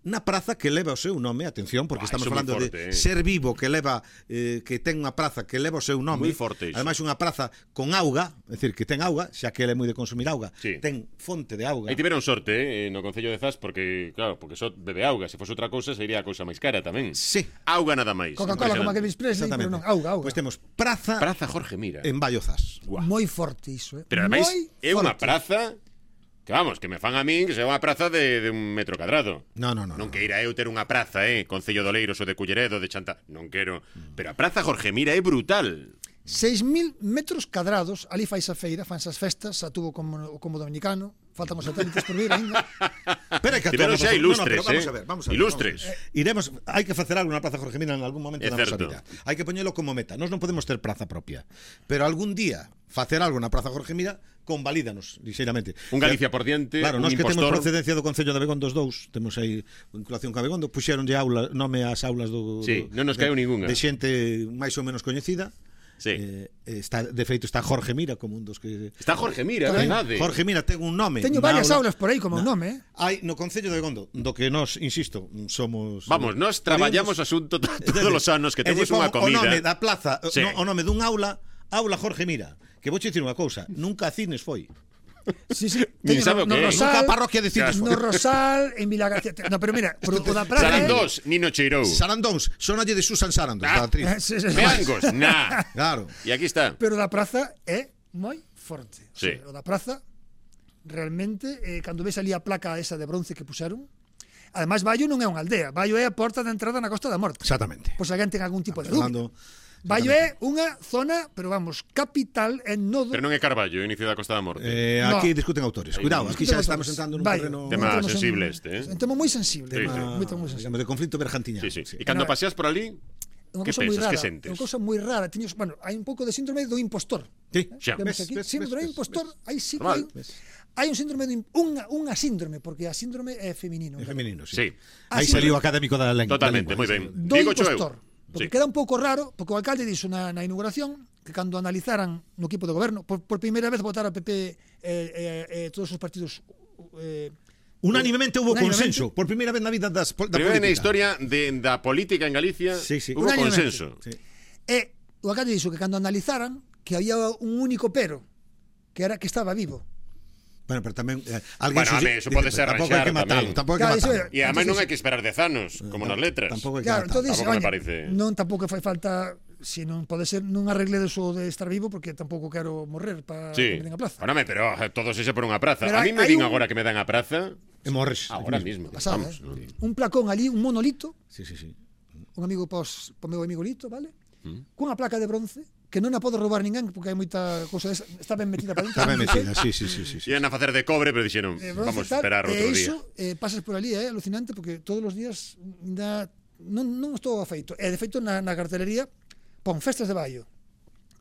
na praza que leva o seu nome, atención, porque Buah, estamos iso moi falando forte, de eh. ser vivo que leva eh, que ten unha praza que leva o seu nome. Moi forte iso. Ademais unha praza con auga, é dicir, que ten auga, xa que ele é moi de consumir auga, Sí. ten fonte de auga. Aí tiveron sorte, eh, no Concello de Zas, porque, claro, porque só bebe auga. Se fose outra cousa, sería a cousa máis cara tamén. Sí. Auga nada máis. Coca-Cola como aquel Impresionante. Express, pero non, auga, auga. Pois temos praza, Praza Jorge Mira. en Vallozas. Guau. Moi forte iso, eh. Pero ademais Moi é unha forte. praza que vamos, que me fan a min que sea unha praza de, de un metro cadrado. No, no, no. Non no. queira eu ter unha praza, eh, Concello de Oleiros ou de Culleredo, de Chanta, non quero. Pero a praza Jorge Mira é brutal. seis mil metros cadrados, ali fais a feira, fans as festas, a tuvo como, como dominicano, faltan os satélites por vir ainda. Pero é que Tiveron actuamos- xa no, no, ilustres, pero vamos eh. a ver, vamos a ver, Ilustres. vamos a ver. Iremos, hai que facer algo na Praza Jorge Mira en algún momento É da nosa certo. vida. Hai que poñelo como meta. Nós non podemos ter praza propia, pero algún día facer algo na Praza Jorge Mira convalídanos lixeiramente. Un Galicia por diante, Claro, un nós que temos impostor. procedencia do Concello de Abegondo os dous, temos aí vinculación con Abegondo, puxéronlle aula, nome ás aulas do, Sí, do non nos caeu de, ningunha. de xente máis ou menos coñecida. Sí. Eh, está, de feito está Jorge Mira como un dos que Está Jorge Mira, é Tamén. verdade. Jorge Mira ten un nome. Teño na varias aula. aulas por aí como un nome, eh. Hai no Concello de Abegondo, do que nós, insisto, somos Vamos, nós traballamos asunto to- todos os anos que E temos lle pon unha comida. O nome da plaza, Sí. no, o nome dun aula, Aula Jorge Mira. Que vou che dicir unha cousa, nunca a Cines foi. Sí, sí. Nin Teño sabe o no, que é. no Nunca Rosal, a parroquia de Cines no foi. Rosal, en Vila García. No, pero mira, por, o da praza. Sarandós, Nino cheirou. Sarandóns, sonalle de Susan Sarandons, Ah. da actriz. Eh, sí, sí, sí. Meangos, nah. Claro. E aquí está. Pero o da praza é moi forte. O Sí. sea, o da praza realmente eh, cando ves ali a placa esa de bronce que puxeron, ademais Baio non é unha aldea, Baio é a porta de entrada na Costa da Morte. Exactamente. Pois alguén ten algún tipo de Fernando, dúbida. Baio é unha zona, pero vamos, capital en nodo. Pero non é Carballo, inicio da Costa da Morte. eh, No. aquí discuten autores. Cuidado, aquí xa estamos entrando nun Baio. terreno Tema Entramos en- sensible este, eh. Un tema moi sensible. Sí, sí. Moi, moi sensible. digamos, de conflito bergantiñano. Sí, sí. E cando No, paseas por ali, Unha que cousa moi pensas, rara, que sentes? é unha cousa moi rara. Tiños, bueno, hai un pouco de síndrome do impostor. Sí, Xa. Vemos ves, aquí, ves, síndrome ves, do impostor, aí sí que Normal. hai, hai un síndrome de, im- unha, unha síndrome, porque a síndrome é feminino. É feminino, sí. sí. Ah, Aí sí. saliu o académico da lengua. Totalmente, da lingua, moi ben. sí. Do Digo cho eu. impostor. Porque Sí. queda un pouco raro, porque o alcalde dixo na, na inauguración que cando analizaran no equipo de goberno, por, por primeira vez votar a P P eh, eh, eh, todos os partidos eh, Unánimemente hubo Unánimemente. consenso, por primeira vez na vida das, pol- da Primeiro na política. historia de, da política en Galicia, Sí, sí. hubo Unánimemente. consenso. Sí. E o alcalde dixo que cando analizaran que había un único pero, que era que estaba vivo. Bueno, pero tamén eh, alguén Bueno, a ver, eso pode ser tampouco hai arranxar que matalo, tamén. tampouco hai que Claro, iso matalo. é- E además non Entonces- hai que esperar dez anos, como nas letras. Tampouco hai que Claro, matalo. entón dixe, Tampouco me "Oye, parece". non tampouco fai falta se non pode ser non arregle deso de estar vivo porque tampouco quero morrer para Sí. que me den a plaza. Bueno, me, pero eh, todos ese por unha praza. Pero a mí hai- me hai din un- agora que me dan a praza, E morres. agora aquí mismo. Pasada, Vamos. eh? Un placón ali, un monolito, Sí, sí, sí. un amigo pos, po meu amigo Lito, vale? Mm. Cunha placa de bronce que non a pode roubar ninguén porque hai moita cousa desa, está ben metida para dentro. Está ben non sei. metida, sí, sí, sí, sí, sí. Iban a facer de cobre, pero dixeron, Eh, bronce vamos e tal, a esperar e outro día. iso, eh, pasas por ali, é eh, alucinante porque todos os días ainda non, non estou afeito. E de feito na, na cartelería pon festas de Baio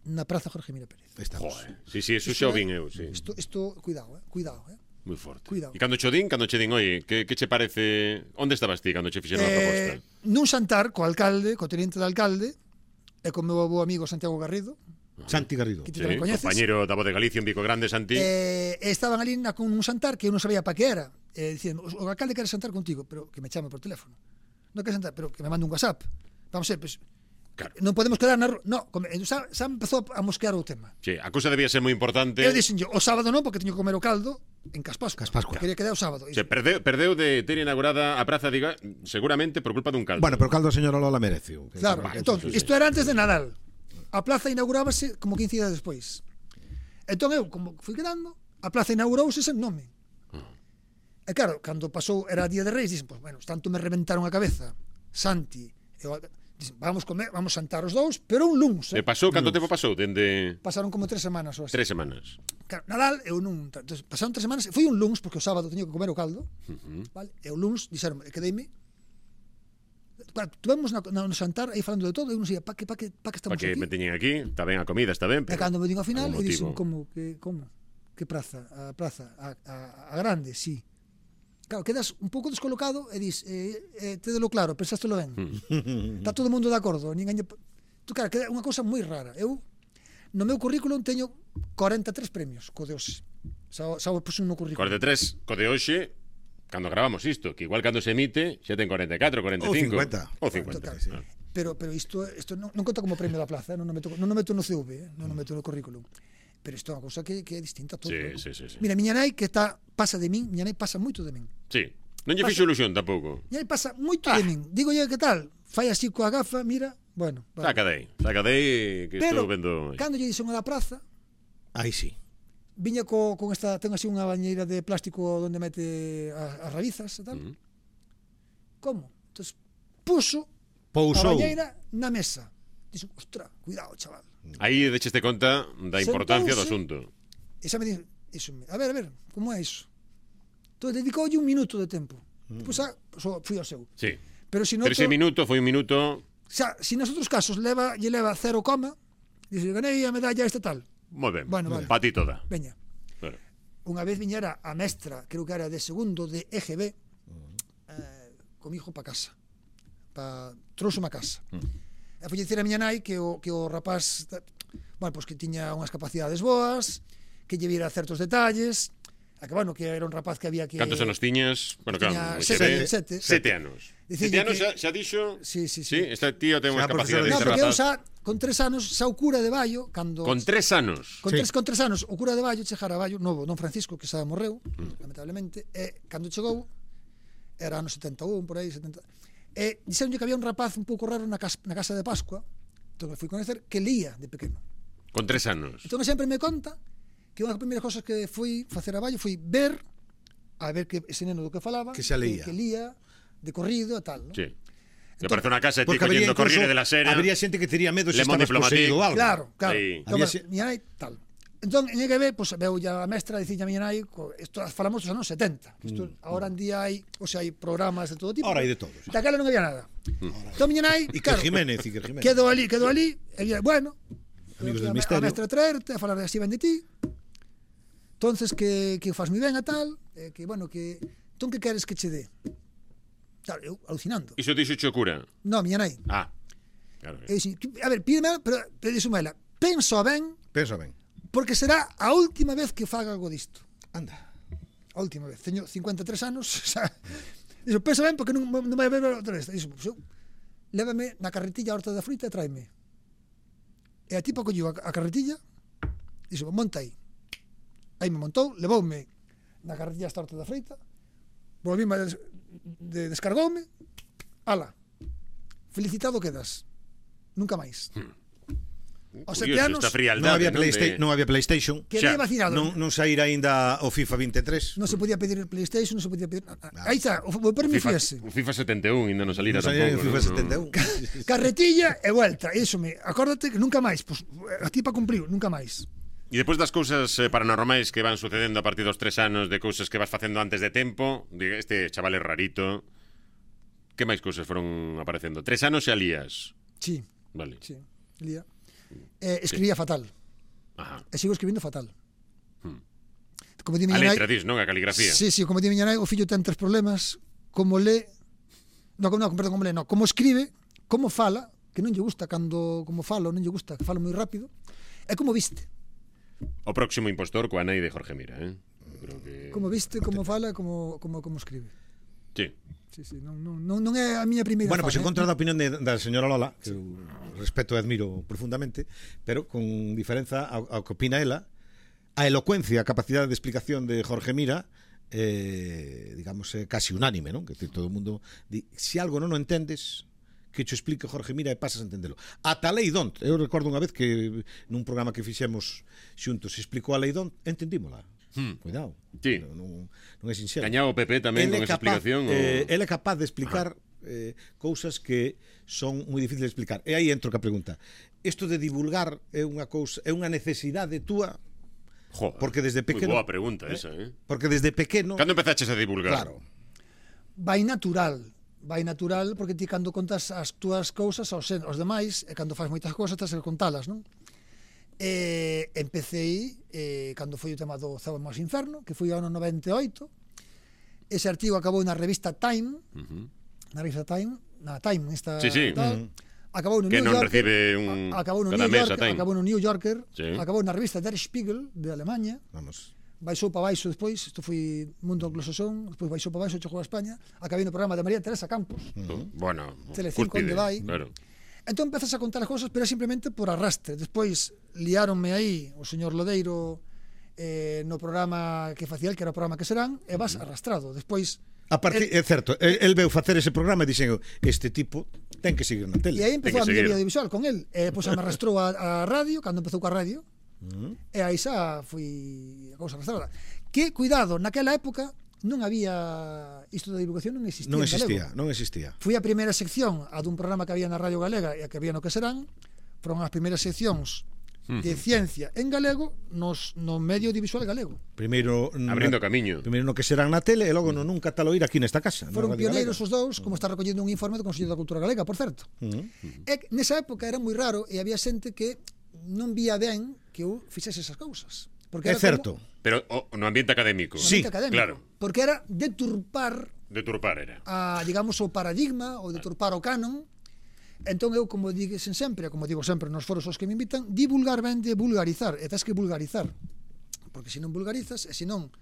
na Praza Jorge Mira Pérez. Aí estamos. Joder, sí, sí, eso xa o vin eu, sí. Isto, isto, cuidado, eh, cuidado, eh. Moi forte. Cuidado. E cando cho din, cando che din, oye, que, que che parece... Onde estabas ti cando che fixeron a proposta? Eh, nun xantar co alcalde, co teniente de alcalde e con meu bo amigo Santiago Garrido, Santi Garrido. que ti Sí, tamén coñeces. compañero da Voz de Galicia en Vico Grande, Santi. Eh, e estaban ali na, con un xantar que eu non sabía pa que era. Eh, dicindo, o alcalde quere xantar contigo, pero que me chame por teléfono. Non quere xantar, pero que me mande un WhatsApp. Vamos a ver, pues, Claro. non podemos quedar na rúa. No, come, xa, xa empezou a mosquear o tema. Sí, a cousa debía ser moi importante. Eu dixen yo, o sábado non, porque teño que comer o caldo en Caspascua. Caspascua. Quería quedar o sábado. Se perdeu, perdeu de ter inaugurada a praza, diga, seguramente por culpa dun caldo. Bueno, pero o caldo a señora Lola merece. Claro, Vale, entón, sí, sí. isto era antes de Nadal. A plaza inaugurábase como quince días despois. Entón eu, como fui quedando, a plaza inaugurouse sen nome. E claro, cando pasou, era día de Reis, dixen, pues, bueno, tanto me reventaron a cabeza Santi, eu, dixen, vamos comer, vamos santar os dous, pero un luns, E eh? pasou, canto tempo pasou? Dende Pasaron como tres semanas ou así. tres semanas. Claro, Nadal, eu non, entonces, pasaron tres semanas, foi un luns, porque o sábado teño que comer o caldo, Uh-huh. vale? E o luns, dixeron, e quedeime, claro, tuvemos na, na, no xantar aí falando de todo, eu non sei, pa que, pa que, pa que Para estamos que aquí? me teñen aquí, está ben a comida, está ben, E pero... cando me digo ao final, algún e dixen, motivo. como, que, como? Que praza? A praza, a, a, a grande, sí. Claro, quedas un pouco descolocado e dis, eh, eh, tédelo claro, pensástelo ben. Hmm. Está todo o mundo de acordo, ninguén... lle- Tú, claro, queda unha cousa moi rara. Eu, no meu currículum, teño corenta e tres premios co de hoxe. Xa, xa o puxen no currículum. cuarenta e tres, co de hoxe, cando gravamos isto, que igual cando se emite xa ten cuarenta e catro, cuarenta e cinco. Ou cincuenta. Ou cincuenta. Total. Ah. Pero, pero isto, isto non, non conta como premio da plaza, eh? non, o meto, non o meto no C V, eh? non o meto no currículum. Pero isto é unha cousa que, que é distinta a todo. Sí, ¿no? sí, sí, sí. Mira, miña nai que está, pasa de min, miña nai pasa moito de min. Sí. Non lle Pasa- fixo ilusión tampouco. Miña nai pasa moito de min. Digo yo, que tal? Fai así coa gafa, mira, bueno. Vale. Saca dei, saca dei que Pero, estou vendo. cando lle dixen a da praza, Aí sí. viña co, con esta, ten así unha bañeira de plástico onde mete as, as rabizas e tal. Mm. Como? Entón, puso a Pousou. bañeira na mesa. Dixo, ostra, cuidado, chaval. Aí decheste conta da importancia do Sentouse. asunto. E xa me dixo, iso, a ver, a ver, como é iso? Entón, dedicoulle un minuto de tempo. Mm. Pois a, so, fui ao seu. Sí. Pero se no Pero ese minuto foi un minuto, xa, si nos outros casos leva, lle leva cero coma, dixe, ganei a medalla esta tal. moi ben. Bueno, vale. Pa ti toda. Veña. Claro. Unha vez viñera a mestra, creo que era de segundo de E G B, eh, comigo pa casa. Pa, trouxe a casa. E foi dicir a miña nai que o, que o rapaz, bueno, pues que tiña unhas capacidades boas, que lle viera certos detalles, a que, bueno, que era un rapaz que había que... Cantos anos tiñas? Bueno, Tiña claro, sete, sete, sete. sete anos. Dicille Sete anos que- xa, xa dixo. Sí, sí, Sí, sí. este tío ten unhas Xa, capacidades. No, profesor, porque eu rapaz. xa, con tres anos, xa o cura de Baio, cando... Con tres anos. Con Sí. tres, con tres anos, o cura de Baio chegara a Baio, novo, don Francisco, que xa morreu, Mm. lamentablemente, e cando chegou, era ano setenta e un, por aí, setenta... E dixeronlle que había un rapaz un pouco raro na casa, na casa de Pascua, entón me fui coñecer, que lía de pequeno. Con tres anos. Entón sempre me conta que unha das primeiras cosas que fui facer a Baio foi ver, a ver que ese neno do que falaba, Que xa leía. que, que lía de corrido e tal, ¿no? Sí. Que aparece unha casa e ti Porque habría collendo incluso, Corriere de la Sera. habría xente que tería medo se Le Monde estabas Diplomatique. poseído algo. Claro, claro. Aí. Entón, Había bueno, se- miña nai tal. Entón, en E G B, pues, veu ya a mestra, dicille a miña nai, co- isto falamos dos anos setenta. Isto, ahora en día hai, o sea, hai programas de todo tipo. Ahora hai de todo, sí. Daquela non había nada. Entón, miña nai, Iker claro, Jiménez, Iker Jiménez. quedou ali, quedou ali, e día, bueno, Amigos a, del me- Misterio. a mestra traerte, a falar así ben de ti. Entonces, que, que faz moi ben a tal, eh, que, bueno, que, entón, que queres que che dé? Claro, eu, alucinando. Iso dixo cho cura. No, miña nai. Ah. Claro. Eu dixen, a ver, pídeme, pero, pero dixo ela, penso ben, Pensa ben. porque será a última vez que faga algo disto. Anda. A última vez. Teño cincuenta e tres anos, o sea, dixo, pensa ben porque non, non vai haber outra vez. Dixo, pues, eu, lévame na carretilla a horta da fruta e tráeme. E a tipa colleu a, a carretilla, dixo, monta aí. Aí me montou, levoume na carretilla hasta a horta da fruta, volvíme a des, de, descargoume, ala, felicitado quedas. Nunca máis. Aos sete Curioso anos, esta frialdade, Non había, non? Playsta De- non había PlayStation. quedei xa, vacinado. Non, non saíra aínda o FIFA vinte e tres. Non se podía pedir el PlayStation, non se podía pedir... Aí está, o o permi FIFA, fiese. o FIFA setenta e un ainda non salira Non saíra o tampouco. FIFA non? setenta e un. Carretilla e vuelta. Iso me, acórdate que nunca máis, pues, a tipa cumpriu, nunca máis. E depois das cousas eh, paranormais que van sucedendo a partir dos tres anos, de cousas que vas facendo antes de tempo, de este chaval é rarito, que máis cousas foron aparecendo? Tres anos e alías. Sí, Vale. sí, lía. Eh, escribía fatal. Ajá. E sigo escribindo fatal. Hmm. Como di A miña letra, nai, dis, non? A caligrafía. sí, sí, como di miña nai, o fillo ten tres problemas, como le, no, no, perdón, como le, no, como escribe, como fala, que non lle gusta cando como falo, non lle gusta, que falo moi rápido, e como viste. O próximo impostor coa nai de Jorge Mira, eh? Eu creo que... Como viste, como fala, como como como escribe. Sí. Sí, sí, non, non, non, non é a miña primeira Bueno, pois fan, en contra eh? da opinión de, da señora Lola, que eu respeto e admiro profundamente, pero con diferenza ao, ao que opina ela, a elocuencia, a capacidade de explicación de Jorge Mira, eh, digamos, é casi unánime, non? Que decir, todo o mundo di, se algo non o entendes, que cho explique Jorge Mira e pasas a entendelo. Ata a lei Dont, eu recordo unha vez que nun programa que fixemos xuntos explicou a lei Dont, entendímola. Hmm. Cuidado. Sí. Non, non, non é sinxelo. Gañaba o P P tamén Ele con é esa capaz, explicación. eh, o... Ele é capaz de explicar eh, cousas que son moi difíciles de explicar. E aí entro ca pregunta. Isto de divulgar é unha cousa, é unha necesidade túa? Joder, porque desde pequeno- Moi boa pregunta esa, eh? Porque desde pequeno... Cando empezaches a divulgar? Claro. Vai natural, vai natural porque ti cando contas as túas cousas aos, aos demais e cando faz moitas cousas tens que contalas, non? E empecei eh, cando foi o tema do Céu máis Inferno, que foi ao ano noventa e oito. Ese artigo acabou na revista Time, Uh-huh. na revista Time, na Time, esta Sí, sí. tal. Acabou no Que New non Yorker, recibe un... a- acabou no cada New mes a Yorker, Time. acabou no New Yorker, Sí. acabou na revista Der Spiegel de Alemania. Vamos. baixou para baixo despois, isto foi mundo anglosasón, despois baixou para baixo, chegou a España, acabei no programa de María Teresa Campos, Uh, bueno, Telecinco, onde vai. Claro. Entón empezas a contar as cousas, pero simplemente por arrastre. Despois liáronme aí o señor Lodeiro eh, no programa que facía el, que era o programa que serán, e vas arrastrado. Despois A partir, é certo, el, el veu facer ese programa e dixen, este tipo ten que seguir na tele. e aí empezou a Ten que miña seguir. vida audiovisual con el. E pois me arrastrou a, a radio, cando empezou coa radio, e aí xa fui a cousa arrastrada. Que, cuidado, naquela época non había isto da divulgación, non existía Non en galego. existía, non existía. Fui a primeira sección a dun programa que había na Radio Galega e a que había no que serán, foron as primeiras seccións de ciencia en galego nos, no medio audiovisual galego. Primeiro Abrindo na, camiño. Primeiro no que serán na tele e logo no nunca taloira aquí nesta casa. Foron na Radio pioneiros Galega. os dous, como está recollendo un informe do Consello da Cultura Galega, por certo. Uh-huh. E nesa época era moi raro e había xente que non vía ben que eu fixese esas cousas. Porque É era certo. como Pero oh, no ambiente académico. un Sí, ambiente académico. claro. Porque era deturpar Deturpar era. a, digamos, o paradigma ou deturpar o canon. Entón eu, como dixen sempre, como digo sempre nos foros aos que me invitan, divulgar ben de vulgarizar, e tens que vulgarizar, porque se non vulgarizas, e se non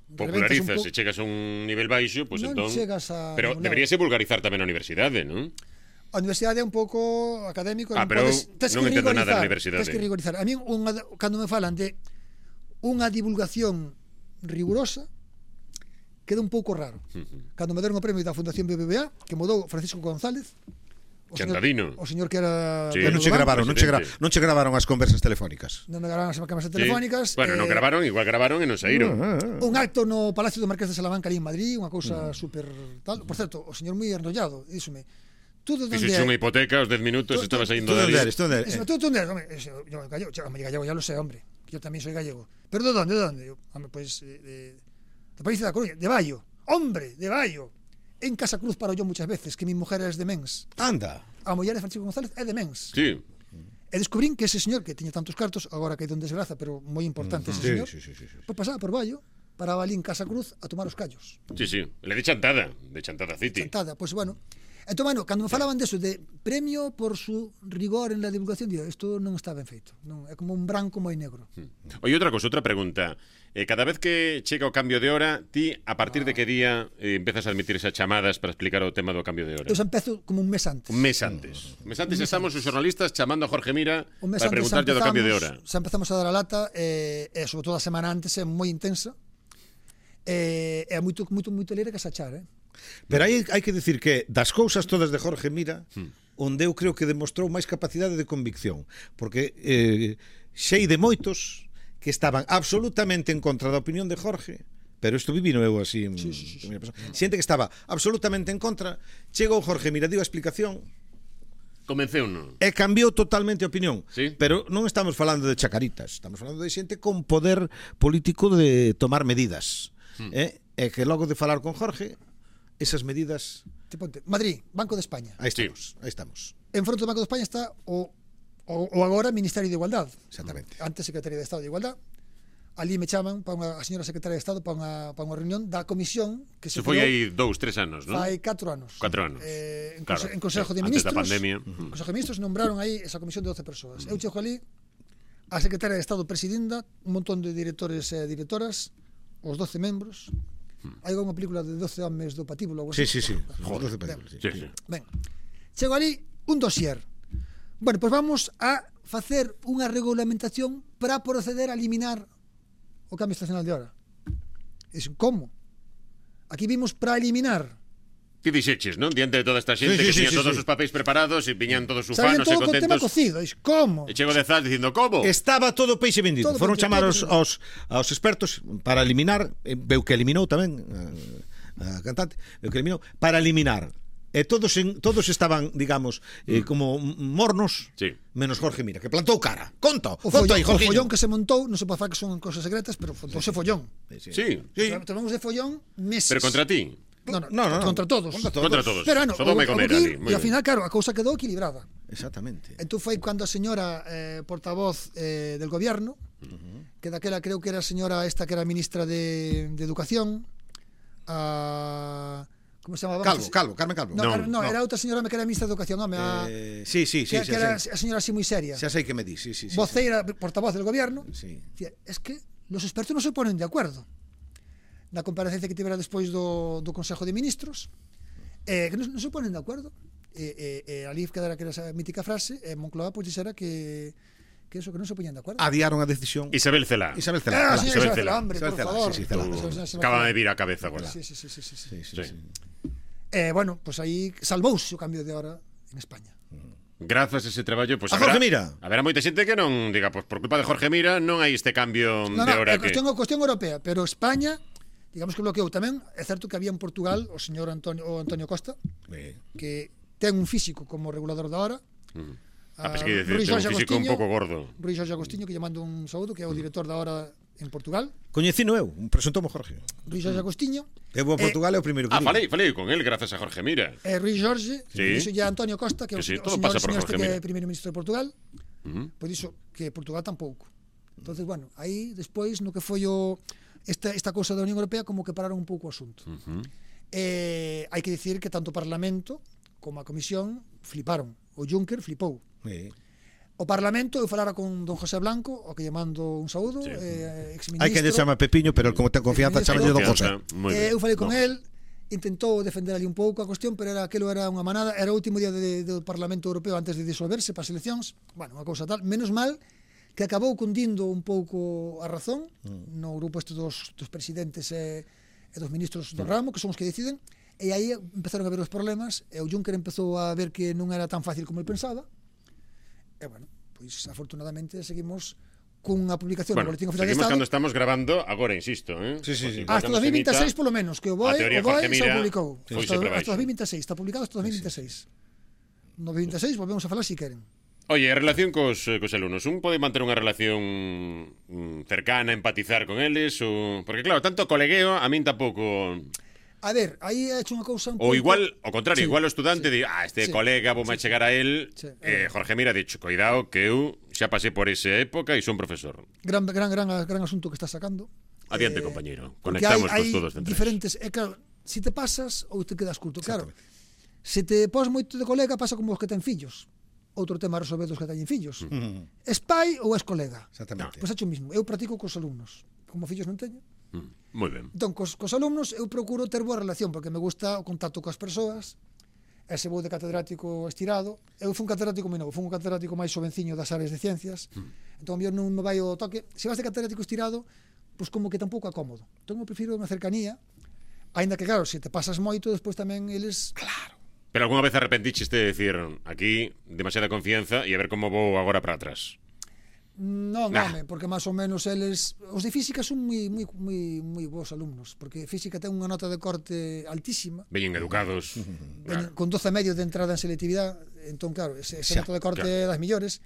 Popularizas, po- se chegas a un nivel baixo, pues non entón... chegas a Pero ningún lado. deberíase vulgarizar tamén a universidade, non? A universidade é un pouco académico, Ah, non pero podes, tes non que entendo nada da rigorizar, universidade. tes que rigorizar. A mí unha, cando me falan de unha divulgación rigurosa, queda un pouco raro. Cando me deron o premio da Fundación B B V A, que modou Francisco González, o Chantadino. señor, o señor que era Sí. Pero non che gravaron, non che, gra, presidente. non che gravaron as conversas telefónicas. non me gravaron as cámaras Sí. telefónicas. Bueno, non eh, gravaron, igual gravaron e non saíron. un acto no Palacio do Marqués de Salamanca ali en Madrid, unha Mm. cousa super tal. Por certo, o señor moi enrollado, díxome, tú de onde Fixeche unha é? hipoteca, os dez minutos Tú- estaba tú- saindo Tú de onde ali. eres? Tú onde eres? Díxeme, tú de onde eres? Home, ese, yo gallego, che, home, gallego ya lo sé, hombre. Que yo tamén soy gallego. Pero de onde? De onde? Yo, home, pues de, de, de País da Coruña, de Baio. Hombre, de Baio. En Casa Cruz paro yo muchas veces, que mi mujer es de Mens. Anda. A muller de Francisco González é de Mens. Sí. E descubrín que ese señor que tiña tantos cartos, agora que hai don desgraza, pero moi importante ese Sí, señor, sí, sí, sí, sí. pues pasaba por Baio, paraba ali en Casa Cruz a tomar os callos. Sí, sí. Le de Chantada, de Chantada City. Chantada, pues bueno. Entón, bueno, cando me falaban deso de premio por su rigor en la divulgación, digo, isto non está ben feito. Non, é como un branco moi negro. Oye, outra cosa, outra pregunta. Eh, cada vez que chega o cambio de hora, ti, a partir de que día eh, empezas a admitir esas chamadas para explicar o tema do cambio de hora? Eu xa empezo como un mes antes. Un mes antes. Un mes antes estamos os xornalistas chamando a Jorge Mira Un mes para antes xa preguntarlle do cambio de hora. empezamos- Xa empezamos a dar a lata, e, e sobre todo a semana antes é moi intensa. E é moito, moito, moito leire que sachar, eh? Pero aí hai que decir que das cousas todas de Jorge Mira, onde eu creo que demostrou máis capacidade de convicción, porque eh, xei de moitos que estaban absolutamente en contra da opinión de Jorge, pero isto vivino eu así en Sí, sí, sí, sí. primeira persona. Xente que estaba absolutamente en contra, chegou Jorge Mira, dio a explicación Convenceu, non? e cambiou totalmente a opinión. Sí. Pero non estamos falando de chacaritas, estamos falando de xente con poder político de tomar medidas. Hmm. Eh? E que logo de falar con Jorge, esas medidas, Te ponte, Madrid, Banco de España. aí Sí. estamos, aí estamos. En fronte do Banco de España está o, o, o agora Ministerio de Igualdad. Exactamente. Antes Secretaría de Estado de Igualdad. Ali me chaman para unha, a señora Secretaria de Estado para unha, para unha reunión da comisión que se Se foi creou aí dous, tres anos, non? fai catro anos. Cuatro anos. Eh, en, Claro, conse, en Consejo sí, de antes Ministros. da pandemia. En Consejo de Ministros nombraron aí esa comisión de doce persoas. Eu chego ali, a Secretaria de Estado presidenta, un montón de directores e directoras, os doce membros. Hai unha película de doce homes do patíbulo. algo Sí, así. sí, sí. Joder, doce ben. películas, sí. Sí, sí. Ben, chego ali un dossier. Bueno, pois pues vamos a facer unha regulamentación para proceder a eliminar o cambio estacional de hora. E dixen, como? Aquí vimos para eliminar. Ti dixeches, non? Diante de toda esta xente Sí, sí, que sí, tiña sí, todos sí. os papéis preparados e viñan todos Sabían ufanos e todo co tema contentos. cocido. Dixen, como? E chego de Zaz dicindo, como? Estaba todo peixe vendido. Todo Foron vendido, chamar todo aos, vendido. aos, aos expertos para eliminar, eh, veu que eliminou tamén a, a cantante, veu que eliminou para eliminar. E todos en, todos estaban, digamos, eh, como mornos, Sí. menos Jorge Mira, que plantou cara. Conta, O conta follón, aí, o Jorge. follón que se montou, non se pode falar que son cosas secretas, pero montouse follón. Sí. Sí. Tomamos de follón meses. Pero contra ti. No, no, No, no, no. contra todos. Contra todos. Contra todos. Pero, bueno, Sodoma e o- o Gomorra Gil, ali, moi e ao ben. final, claro, a cousa quedou equilibrada. Exactamente. Entón foi cando a señora eh, portavoz eh, del gobierno, que daquela creo que era a señora esta que era ministra de, de Educación, a... Como se chamaba? Calvo, Calvo, Carmen Calvo. No, Non, era, no, no. era outra señora que era ministra de Educación, home, a, Eh, sí, sí, sí, que, xa que era sei. a señora así moi seria. Xa sei que me di, sí, sí, sí. Voceira, portavoz del gobierno. Sí. Dicía, es que los expertos non se ponen de acuerdo. Na comparecencia que tivera despois do, do Consejo de Ministros, eh, que non, non se ponen de acuerdo. E, e, e ali quedara que era esa mítica frase, e Moncloa pois dixera que que eso, que non se poñían de acuerdo. Adiaron a decisión. Isabel Celá. Isabel Celá. Ah, sí, Isabel Isabel Celá. Celá, hombre, Isabel por Celá, favor. sí, sí, Celá. Uh, Acaba de vir a cabeza agora. Sí, sí, sí, sí, sí, sí. Sí, sí, Sí. sí. Eh, bueno, pues aí salvouse o cambio de hora en España. Grazas a ese traballo, pues A haberá, Jorge Mira. haberá moita xente que non diga, pues por culpa de Jorge Mira non hai este cambio No, de no, hora é que... cuestión, cuestión europea, pero España, digamos que bloqueou tamén. É certo que había en Portugal o señor Antonio, o Antonio Costa, Eh, que ten un físico como regulador da hora. Uh. Ah, Ah, pues que decir, Rui ten un Jorge físico un Agostinho. pouco gordo. Rui Jorge Agostinho, que lle mando un saúdo, que é o director da hora en Portugal. Coñecino eu, presentou-me Jorge. Rui Jorge Agostinho. Eu vou a Portugal, é o primeiro que Ah, digo. falei, falei con él grazas a Jorge Mira. E Rui Jorge, Sí. dixo ya Antonio Costa, que é o, Que sí, o todo señor, pasa por señor Jorge este que é Mira. primeiro ministro de Portugal. Uh-huh. Pois dixo que Portugal tampouco. Entonces, bueno, aí despois no que foi o esta esta cousa da Unión Europea como que pararon un pouco o asunto. Uh-huh. Eh, hai que dicir que tanto o Parlamento como a Comisión fliparon. O Juncker flipou. Eh. O Parlamento, eu falara con don José Blanco, o que lle mando un saúdo, Sí. eh, exministro. Hai que lle chama Pepiño, pero como ten confianza, Exministro. chama de Don José. Moi Eh, ben. eu falei con No. el, intentou defender ali un pouco a cuestión, pero era aquilo era unha manada, era o último día de, de, do Parlamento Europeo antes de disolverse para as eleccións. Bueno, unha cousa tal, menos mal que acabou cundindo un pouco a razón no grupo este dos, dos presidentes e, e dos ministros do ramo, que son os que deciden, e aí empezaron a ver os problemas, e o Juncker empezou a ver que non era tan fácil como el pensaba, e bueno, pois afortunadamente seguimos cunha publicación Bueno, no Boletín Oficial de seguimos Estado. cando estamos grabando agora, insisto, eh? Sí, sí, sí. Igual Hasta cando dos se mil veintiséis emita, polo menos, que o a BOE, teoría o BOE Jorge xa Mira o publicou. foi Hasta, sempre hasta baixo. dos mil veintiséis, está publicado hasta dos mil veintiséis. No dos mil veintiséis volvemos a falar si queren. Oye, a relación cos, eh, cos alumnos, un pode manter unha relación mm, cercana, empatizar con eles ou... Porque claro, tanto colegueo a min tampouco... A ver, aí he hecho unha cousa un Ou pouco... igual, ao contrario, Sí, igual o estudante sí, di, ah, este sí, colega, vou me sí, chegar a él. sí, eh, Jorge Mira, dicho, cuidado que eu xa pasei por esa época e son profesor. Gran, gran, gran, gran asunto que estás sacando. Adiante, Eh, compañero. porque Conectamos hai, cos hai todos centrais. diferentes... É claro, si te pasas ou te quedas curto. Claro, se te pos moito de colega, pasa como os que ten fillos. Outro tema a resolver dos que teñen fillos. Mm, Es pai ou es colega? Exactamente. Pois é o mismo. Eu practico cos alumnos. Como fillos non teño. Mm, moi ben. Entón, cos, cos alumnos eu procuro ter boa relación porque me gusta o contacto coas persoas. Ese vou de catedrático estirado. Eu fui un catedrático moi novo, fui un catedrático máis xovenciño das áreas de ciencias. Entón, a mí non me vai o toque. Se vas de catedrático estirado, pois como que tampouco acómodo. Entón, eu prefiro unha cercanía. Aínda que, claro, se te pasas moito, despois tamén eles... Claro. Pero algunha vez arrepentiches de decir aquí, demasiada confianza e a ver como vou agora para atrás. Non, Nah. home, porque máis ou menos eles... Os de física son moi, moi, moi, moi bons alumnos, porque física ten unha nota de corte altísima. Veñen educados. Veñen Claro. con doce e medio de entrada en selectividade, entón claro, ese, ese Xa, nota de corte claro. é das millores,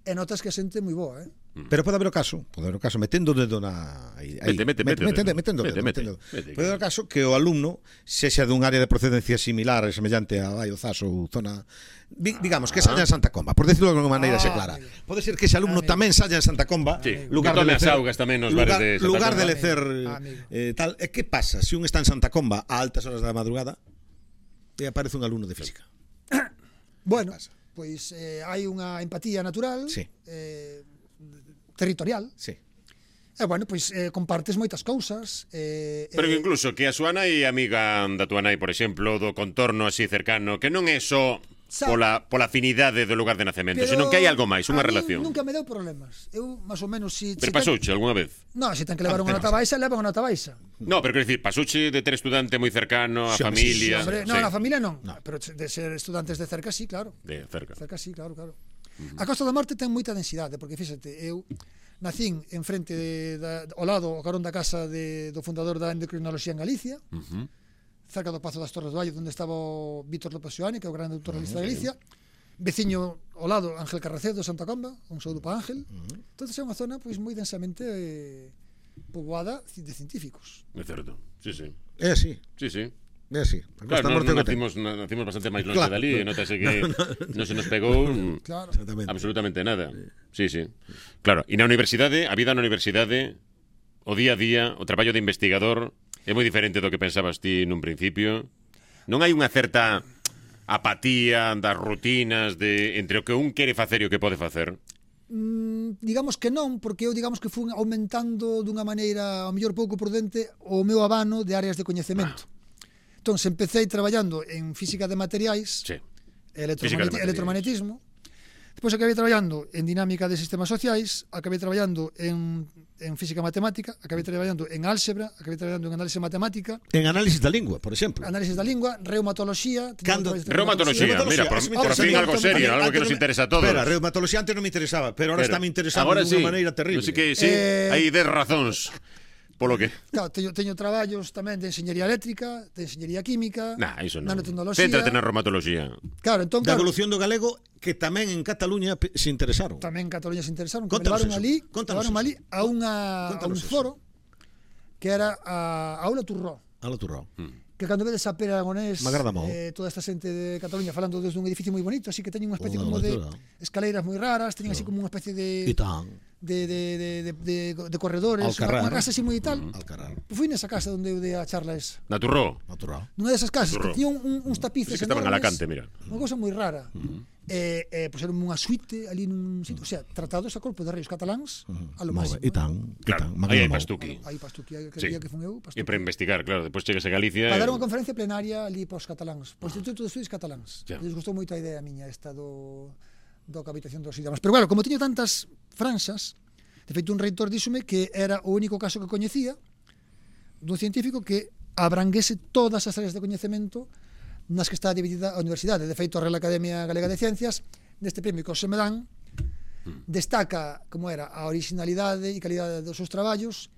e notas que a xente moi boa, eh? Pero pode haber o caso, pode haber o caso metendo o dedo na aí, aí, Mete, mete, mete o metendo, dedo. metendo o Mete, dedo, mete, metendo o dedo. mete, Pode haber o caso que o alumno sexa dun área de procedencia similar e semellante a Baio Zas ou zona di- digamos que saia en Santa Comba, por decirlo de alguma maneira Ah, xe clara. amigo. Pode ser que ese alumno Amigo. tamén saia en Santa Comba, Sí, lugar que tome de as lecer, augas tamén nos lugar, bares de Santa lugar de Comba. lecer Amigo. eh, tal. E que pasa se un está en Santa Comba a altas horas da madrugada e aparece un alumno de física? Bueno, pois eh, hai unha empatía natural, Sí. eh, territorial, Sí. e bueno, pois eh, compartes moitas cousas. Eh, Pero que eh, incluso que a súa nai é amiga da túa nai, por exemplo, do contorno así cercano, que non é só Sa- pola, pola afinidade do lugar de nacemento, pero senón que hai algo máis, unha a min relación. Nunca me deu problemas. Eu, máis ou menos, si... Pero si ten- pasouche algunha vez? No, se ten que levar Ah, unha ten- nota baixa, levan unha nota baixa. No, pero quero dicir, pasouche de ter estudante moi cercano, a Sí, home, sí, familia... Sí, hombre, no, sí, na familia non, pero de ser estudantes de cerca sí, claro. de cerca. Cerca sí, claro, claro. A Costa da Morte ten moita densidade, porque fíxate, eu nacín en frente de, da, ao lado, ao carón da casa de, do fundador da endocrinoloxía en Galicia, Uh-huh. cerca do Pazo das Torres do Valle, onde estaba o Vítor López Xoani, que é o grande naturalista de Galicia, veciño ao lado Ángel Carracedo de Santa Comba, un saúdo para Ángel. Entonces é unha zona pois moi densamente eh, poboada de científicos. É certo, sí, sí. É así, Sí, sí. é así. A Costa Claro, da non, Morte non o que ten. nacimos, na- nacimos bastante máis longe Claro. dali, e notase que non se nos pegou mm, Claro. Exactamente. absolutamente nada. Sí, sí. Claro, e na universidade, a vida na universidade, o día a día, o traballo de investigador é moi diferente do que pensabas ti nun principio. Non hai unha certa apatía das rutinas de entre o que un quere facer e o que pode facer. Mm, digamos que non, porque eu digamos que fui aumentando dunha maneira ao mellor pouco prudente o meu abano de áreas de coñecemento. Ah. Entón, empecé traballando en física de materiais, sí. electromagneti electromagnetismo. Depois acabei traballando en dinámica de sistemas sociais, acabei traballando en, en física matemática, acabei traballando en álgebra, acabei traballando en análise matemática. En análisis da lingua, por exemplo. Análisis da lingua, reumatoloxía. Cando... Reumatoloxía, mira, por, por fin algo serio, algo que nos interesa a todos. Espera, reumatoloxía antes non me interesaba, pero ahora está me interesando de unha maneira terrible. Sí que sí, eh... hai dez razóns. Polo que? Claro, teño, teño traballos tamén de enxeñería eléctrica, de enxeñería química, nah, iso non. nanotecnoloxía. Céntrate na reumatoloxía. Claro, entón, da claro, evolución do galego que tamén en Cataluña se interesaron. Tamén en Cataluña se interesaron, que me Contanos levaron eso. ali, Contanos levaron ali a unha a un Contanos foro que era a Aula Turró. Ala Turró. Mm. Que cando vedes a Pere Aragonés, eh, toda esta xente de Cataluña falando desde un edificio moi bonito, así que teñen unha especie Hola, como de hola. escaleiras moi raras, teñen así como unha especie de E tan. de, de, de, de, de, de corredores, Alcarrán. unha casa así moi tal. Alcarrán. Fui nesa casa onde eu dei a charla esa. Na Turró. Na Turró. Nunha desas casas Turró. que tiña un, un, uns tapices Sí que estaban en enormes, Alacante, mira. Unha cousa moi rara. Uh-huh. Eh, eh, pois era unha suite ali nun sitio, o sea, tratados a corpo de reis cataláns uh-huh. a lo máximo. E tan, Claro, e tan. aí hai pastuqui. Aí pastuqui, aí que Sí. día que fun eu, E pastuqui. para investigar, claro, depois chegas a Galicia. Para dar e- unha conferencia plenaria ali pos cataláns, po Instituto de Estudios Cataláns. Ya. Les gustou moito a idea miña esta do do cohabitación dos idiomas. Pero claro, como teño tantas franxas, de feito un reitor díxome que era o único caso que coñecía dun científico que abranguese todas as áreas de coñecemento nas que está dividida a universidade. De feito, a Real Academia Galega de Ciencias, neste premio que se me dan, destaca como era a originalidade e calidade dos seus traballos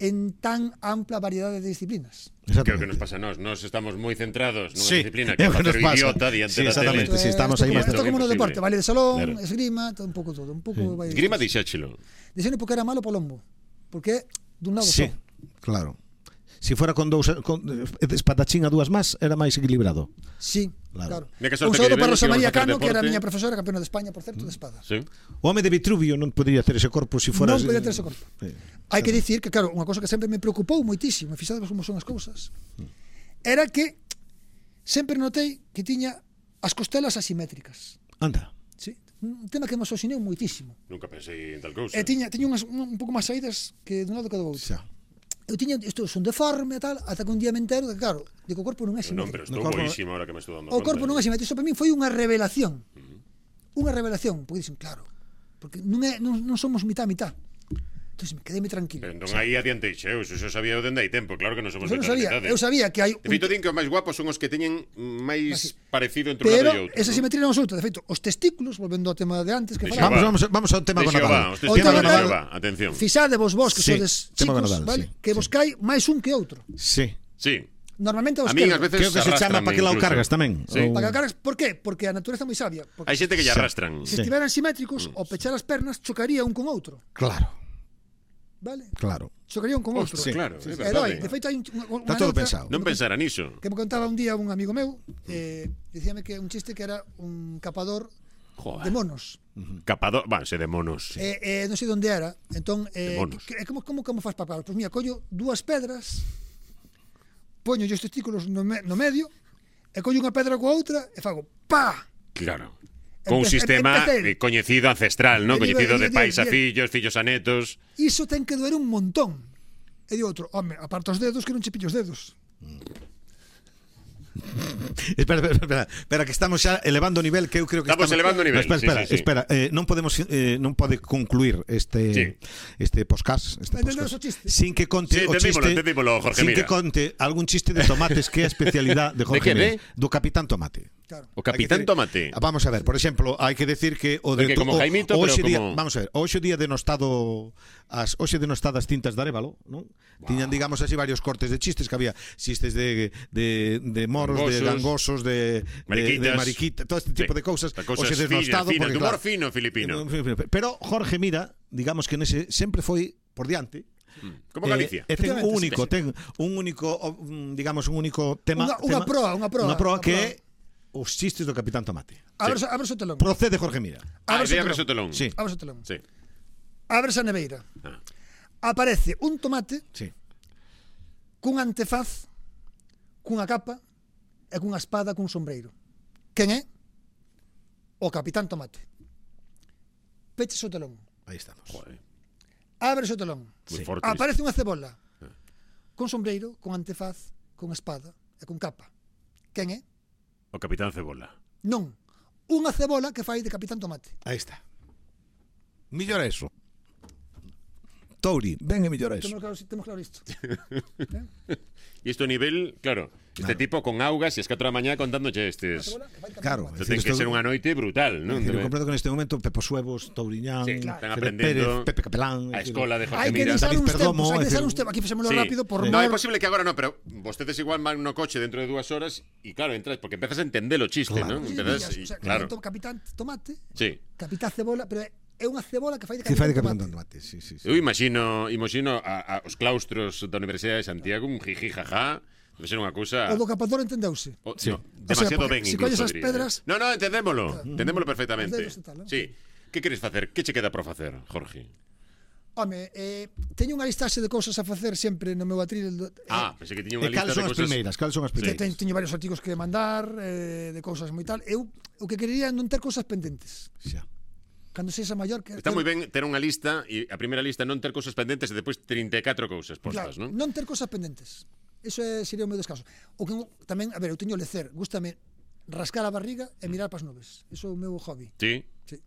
en tan ampla variedade de disciplinas. Creo que nos pasa a nós, nós estamos moi centrados nunha Sí, disciplina é que é o que nos facer pasa. idiota diante Sí, da tele. exactamente. Sí, estamos aí Isto más- como no Imposible. deporte, baile de salón, Claro. esgrima, todo, un pouco todo, un pouco vai. Esgrima dixéchelo. Dixeno porque era malo po lombo, porque dun lado Sí, só. claro. Si fuera con dous con espadachín a dúas más, era máis equilibrado. Sí, Claro. claro. Mira que sorte Un que saúdo para tivemos, Rosa que María íbamos a facer Cano, que era a deporte. miña profesora, campeona de España, por certo, de espada. Sí. O home de Vitruvio non podría ter ese corpo se fora... Non podía ter ese corpo. Sí. Hai que dicir que, claro, unha cosa que sempre me preocupou moitísimo, e fixades como son as cousas, era que sempre notei que tiña as costelas asimétricas. Anda. Sí? Un tema que me asocineu moitísimo. Nunca pensei en tal cousa. E tiña, tiña unhas, un, un pouco máis saídas que dun lado que do outro. Xa. Eu tiña, isto son deforme e tal, ata que un día me entero de que, claro, de que o corpo non é Non, pero simétrico. estou No corpo- boísimo ahora que me estou dando O conta. corpo non é simétrico. Iso para min foi unha revelación. Unha revelación, porque dicen, claro, porque non, é, non, non somos mitad a mitad. Entón, quedéme tranquilo. Pero entón aí adiante eu, eso xa sabía eu dende hai tempo, claro que non somos Eu non mitad sabía, mitade. eu sabía que hai De feito, din que os máis guapos son os que teñen máis Así. parecido entre un pero lado e outro. esa ¿no? simetría non absoluta. De feito, os testículos, volvendo ao tema de antes que De falaba, Vamos, Xehová. vamos, vamos ao tema De con Xehová, Nadal. os O testigos tema de de- Xehová, atención. fixade vos vos que Sí, sodes tema chicos, Nadal, vale? sí, Que vos sí. cai máis un que outro. Sí. Sí. Normalmente os A min quero. ás veces Creo que se chama arrástranme para que lado incluso. cargas tamén. Sí. Ou- Para que cargas, por qué? Porque a natureza é moi sabia. Porque Hai xente que lle Sí. arrastran. se Sí. estiveran simétricos, ao pechar as pernas, chocaría un con outro. Claro, Vale? claro. Chocaría un con outro. Ostras, claro, E é doi, verdade. de feito, hai un- unha, unha Está todo anécdota pensado. Non pensara niso. que me contaba un día un amigo meu, eh, dicíame que un chiste que era un capador Joder. de monos. Capador, va, se de monos. Sí. Eh, eh, non sei onde era. Entón, eh, De monos. que, que, como, como, como faz para pagar? Pois mira, collo dúas pedras, poño os testículos no, me, no medio, e collo unha pedra coa outra, e fago pa! Claro. Con un Empe- sistema empecé. eh, coñecido ancestral, ¿no? Bien, Coñecido bien, de pais a bien, fillos, fillos a netos. Iso ten que doer un montón. E di outro, home, aparta os dedos que non che pillo os dedos. Espera, espera, espera, espera, que estamos xa elevando o nivel que eu creo que Estamos elevando o nivel, No, espera, sí, espera, sí, sí. espera, eh, non podemos eh, non pode concluir este Sí. este podcast, este Entendemos podcast o chiste? sin que conte Sí, o entendímolo, chiste, entendímolo, Jorge, sin mira. que conte algún chiste de tomates que é a especialidade de Jorge que, Mira, de? do Capitán Tomate. Claro. O Capitán Hai que Tomate. decir- Vamos a ver, por exemplo, hai que decir que o de Porque como o- Jaimito, hoxe pero día, como- vamos a ver, hoxe día denostado as hoxe denostadas tintas de Arévalo, non? Wow. Tiñan digamos así varios cortes de chistes que había chistes de de de moros, Gangosos. de gangosos, de Mariquitas. de, de mariquita, todo este tipo Sí. de cousas. Las cosas Hoxe denostado finas, porque de humor claro, fino filipino. Pero Jorge Mira, digamos que nese sempre foi por diante. Como Galicia. Eh, e ten un Efectivamente, único, sí, sí. ten un único, um, digamos un único tema, Unha- unha tema- proa, unha proa, unha proa unha que proa. é os chistes do Capitán Tomate. Abres, abres o telón. Procede Jorge Mira. Ah, Abres o de abres o telón. telón. Sí. Abres o telón. Sí. Abres a neveira. Ah. Aparece un tomate Sí. cun antefaz, cunha capa e cunha espada cun sombreiro. Quen é? O Capitán Tomate. Peches o telón. Aí estamos. Joder, Abre o telón. moi Sí. forte. Aparece unha cebola con sombreiro, con antefaz, con espada e con capa. Quen é? O Capitán Cebola. Non. Unha cebola que fai de Capitán Tomate. Aí está. Millor eso. Touri, ven e millor eso. Temos claro, temos claro isto. E isto a nivel, claro, este Claro. tipo con augas e as catro da mañá contándoche estes. Cebola que fai de Capitán Claro. Tomate. Isto ten que Isto- ser unha noite brutal, non? Eu comprendo que neste momento Pepo Suevos, Touriñán, Sí, Fede están aprendendo Pérez, Pepe Capelán, a escola de Jorge Hai que Mira. deixar David uns Perdomo, tempos, hai que é deixar dicir, uns tempos. Aquí fixémolo Sí. rápido por No, é mor. posible que agora no, pero vostedes igual van no coche dentro de dúas horas e claro, entras porque empezas a entender o chiste, Claro. non? Sí, Empezas, o y, sea, claro. Capitán Tomate, Sí. Capitán Cebola, pero é unha cebola que fai de que fai de Capitán Capitán Tomate. Tomate, sí, sí, sí. Eu imagino, imagino a, a os claustros da Universidade de Santiago, un jiji jaja, debe ser unha cousa O do capador entendeuse. o, Sí. no, O sea, demasiado porque ben si incluso, colles as diría. pedras- No, no, entendémolo, entendémolo perfectamente. Os dedos e tal, non? Sí. Que queres facer? Que che queda por facer, Jorge? Home, eh, teño unha listaxe de cousas a facer sempre no meu atril. do- eh, Ah, pensei que tiña E unha lista cales de son as cousas. primeiras? Cales son as que primeiras? teño, teño varios artigos que mandar, eh, de cousas moi tal. Eu o que querería é non ter cousas pendentes. Xa. Cando sexa maior que Está moi ben ter unha lista e a primeira lista non ter cousas pendentes e depois trinta e catro cousas postas, Claro, non? non ter cousas pendentes. Eso é, sería o meu descanso. O que tamén, a ver, eu teño lecer, gústame rascar a barriga e mirar para as nubes. Eso é o meu hobby. Sí. Sí.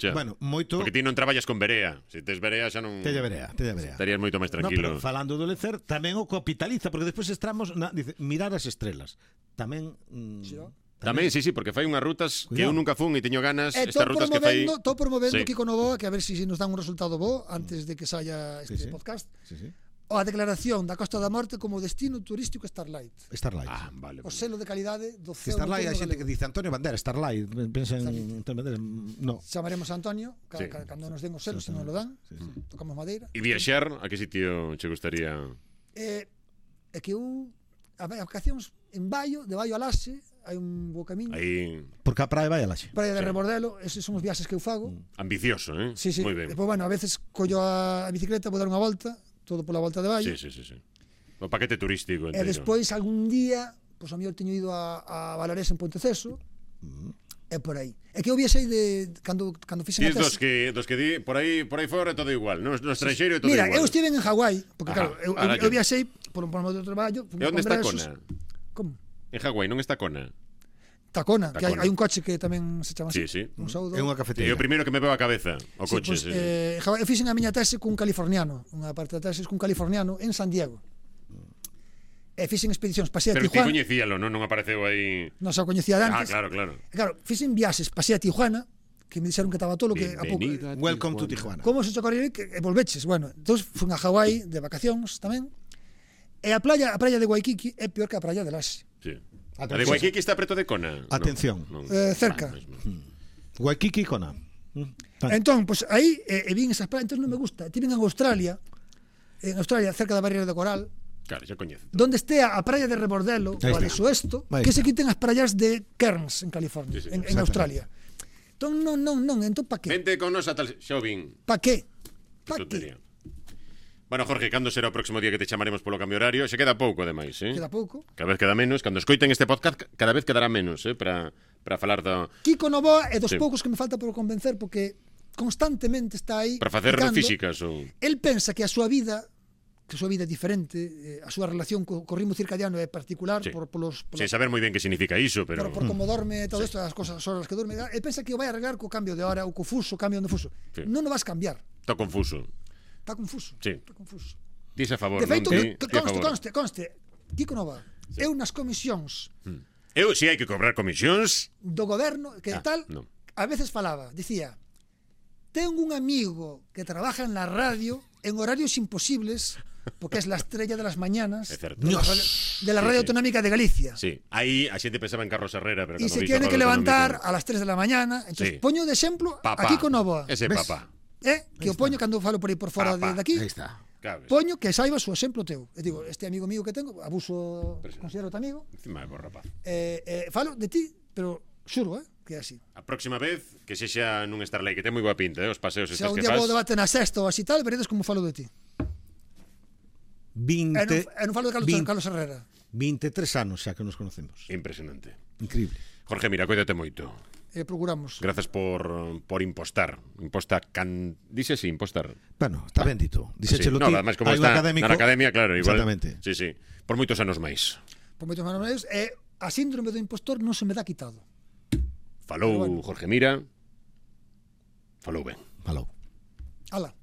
Xa. Bueno, moito... Porque ti non traballas con Berea. Se tes Berea xa non Tella verea, tella verea. estarías moito máis No, tranquilo. pero falando do lecer, tamén o capitaliza, porque despois estamos na, dice, mirar as estrelas. Tamén... Mm, Sí, no? Tamén, sí, sí, porque fai unhas rutas que eu Cuidado. nunca fun e teño ganas, E estas estou rutas que fai. promovendo, estou promovendo Sí. Kiko Novoa, que a ver se si, si nos dan un resultado bo antes de que saia este Sí, sí. podcast. Sí, sí. O a declaración da Costa da Morte como destino turístico Starlight. Starlight. Ah, vale. O vale. selo de calidade do Que ceo Starlight hai nocturno xente que galego. dice Antonio Bandera, Starlight, pensa en Antonio Bandera, no. Chamaremos a Antonio, ca, Sí. ca, cando nos den os selos, se non lo dan, Sí, sí. tocamos madeira. E viaxar, a que sitio che gustaría? É, é que eu, a ver, as vacacións en Baio, de Baio a Laxe, hai un bo camiño. Aí Porque a praia vai a laxe. Praia de Sí. Rebordelo, eses son os viaxes que eu fago. ambicioso, eh? Sí, sí. Moi ben. Depois, bueno, a veces collo a, a bicicleta, vou dar unha volta, todo pola volta de Baio. Sí, sí, sí, sí. O paquete turístico E enteiro. despois, algún día, pois a mellor teño ido a, a Valarés en Ponteceso, e por aí. É que eu viaxei de cando cando fixen Tis a dos tese. que dos que di por aí por aí fora é todo igual, no, no estranxeiro é todo Mira, igual. eu estive en Hawái, porque Ajá, claro, eu, ahora eu, eu que- viaxei por un por un traballo, fui E onde a está congresos. Kona? Como? En Hawái non está Kona. Tacona, que hai, Tacona. hai un coche que tamén se chama Sí, así. sí. Un saúdo. É unha É cafeteira. o primeiro que me veo a cabeza, o Sí, coche, pues, sí, sí. eh, Hawái, eu fixen a miña tese cun californiano, unha parte da tese cun californiano en San Diego. E fixen expedicións, pasei a Pero ti Tijuana, coñecíalo, non? Non apareceu aí. non xa o coñecía de Ah, antes. claro, claro. E claro, fixen viaxes, pasei a Tijuana, que me dixeron que estaba todo que a pouco. Bienvenido a Welcome to Tijuana. Como se chocaría que e volveches? Bueno, entón fun a Hawái de vacacións tamén. E a playa, a praia de Waikiki é peor que a praia de Laxe. Sí. A Atención. de Waikiki está preto de Kona. No, Atención. non. Eh, cerca. Ah, mesmo. Waikiki Kona. Mm. Entón, pois pues, aí e, e vin esas praias, entón non me gusta. Tiven en Australia, en Australia, cerca da barreira de coral, Claro, xa coñezo. donde estea a praia de Rebordelo Aí ou a de está. Suesto, Aí que se está. quiten as praias de Cairns en California, Sí, sí, en, en Australia. Entón, non, non, non, entón pa que? Vente con nos a tal xa o vin. Pa que? Que Pa tontería. que? Bueno, Jorge, cando será o próximo día que te chamaremos polo cambio horario? Se queda pouco, ademais, eh? Queda pouco. Cada vez queda menos. Cando escoiten este podcast, cada vez quedará menos, eh? Para, para falar do... Kiko Novoa é dos Sí. poucos que me falta por convencer porque constantemente está aí Para facer picando. físicas ou... El pensa que a súa vida que a súa vida é diferente, eh, a súa relación co, co ritmo circadiano é particular Sí. por, polos, polos Sin saber moi ben que significa iso, pero... por, por como dorme todo isto, as cosas, as horas que dorme, el pensa que o vai arreglar co cambio de hora ou co fuso, cambio de fuso. Sí. Non o vas cambiar. Está confuso. Está confuso. Sí. Está confuso. Dis a favor, De feito, non? que, Ti, que ti a conste, favor. conste, conste. Kiko Nova, eu nas comisións Eu, si hai que cobrar comisións... do goberno, que Ah, tal, non. a veces falaba, dicía, tengo un amigo que trabaja en la radio en horarios imposibles, porque es la estrella de las mañanas É certo. de la radio, de la radio Sí, sí. autonómica de Galicia. Sí, aí a xente pensaba en Carlos Herrera, pero Y cando se dixo tiene que Radio levantar Autonómico, a las tres de la mañana. Entonces, Sí. poño de exemplo Papá. aquí con Novoa. Ese ¿Ves? papá. Eh, que o poño cando falo por aí por fora Papá. de, de aquí. Aí está. Claro, Poño que saibas o exemplo teu. E digo, este amigo mío que tengo, abuso, considero amigo, encima é bo rapaz. eh, eh, falo de ti, pero xuro, eh, que é así. A próxima vez que sexa nun Starlight, que ten moi boa pinta, eh, os paseos Se estes un que día faz. vou debate na sexta ou así tal, veredes como falo de ti. vinte, E non, e non falo de Carlos, vinte, Carlos Herrera. veintitrés anos xa que nos conocemos. Impresionante. Increíble. Jorge, mira, cuídate moito. e procuramos. Grazas por, por impostar. Imposta can... Dice así, impostar. Bueno, está ben dito. Dixéchelo Sí. No, ti, además, como hai un está académico. na academia, claro, igual. Exactamente. Sí, sí. Por moitos anos máis. Por moitos manos medios, e a síndrome do impostor non se me dá quitado. Falou Pero bueno. Jorge Mira. Falou ben. Falou. Ala.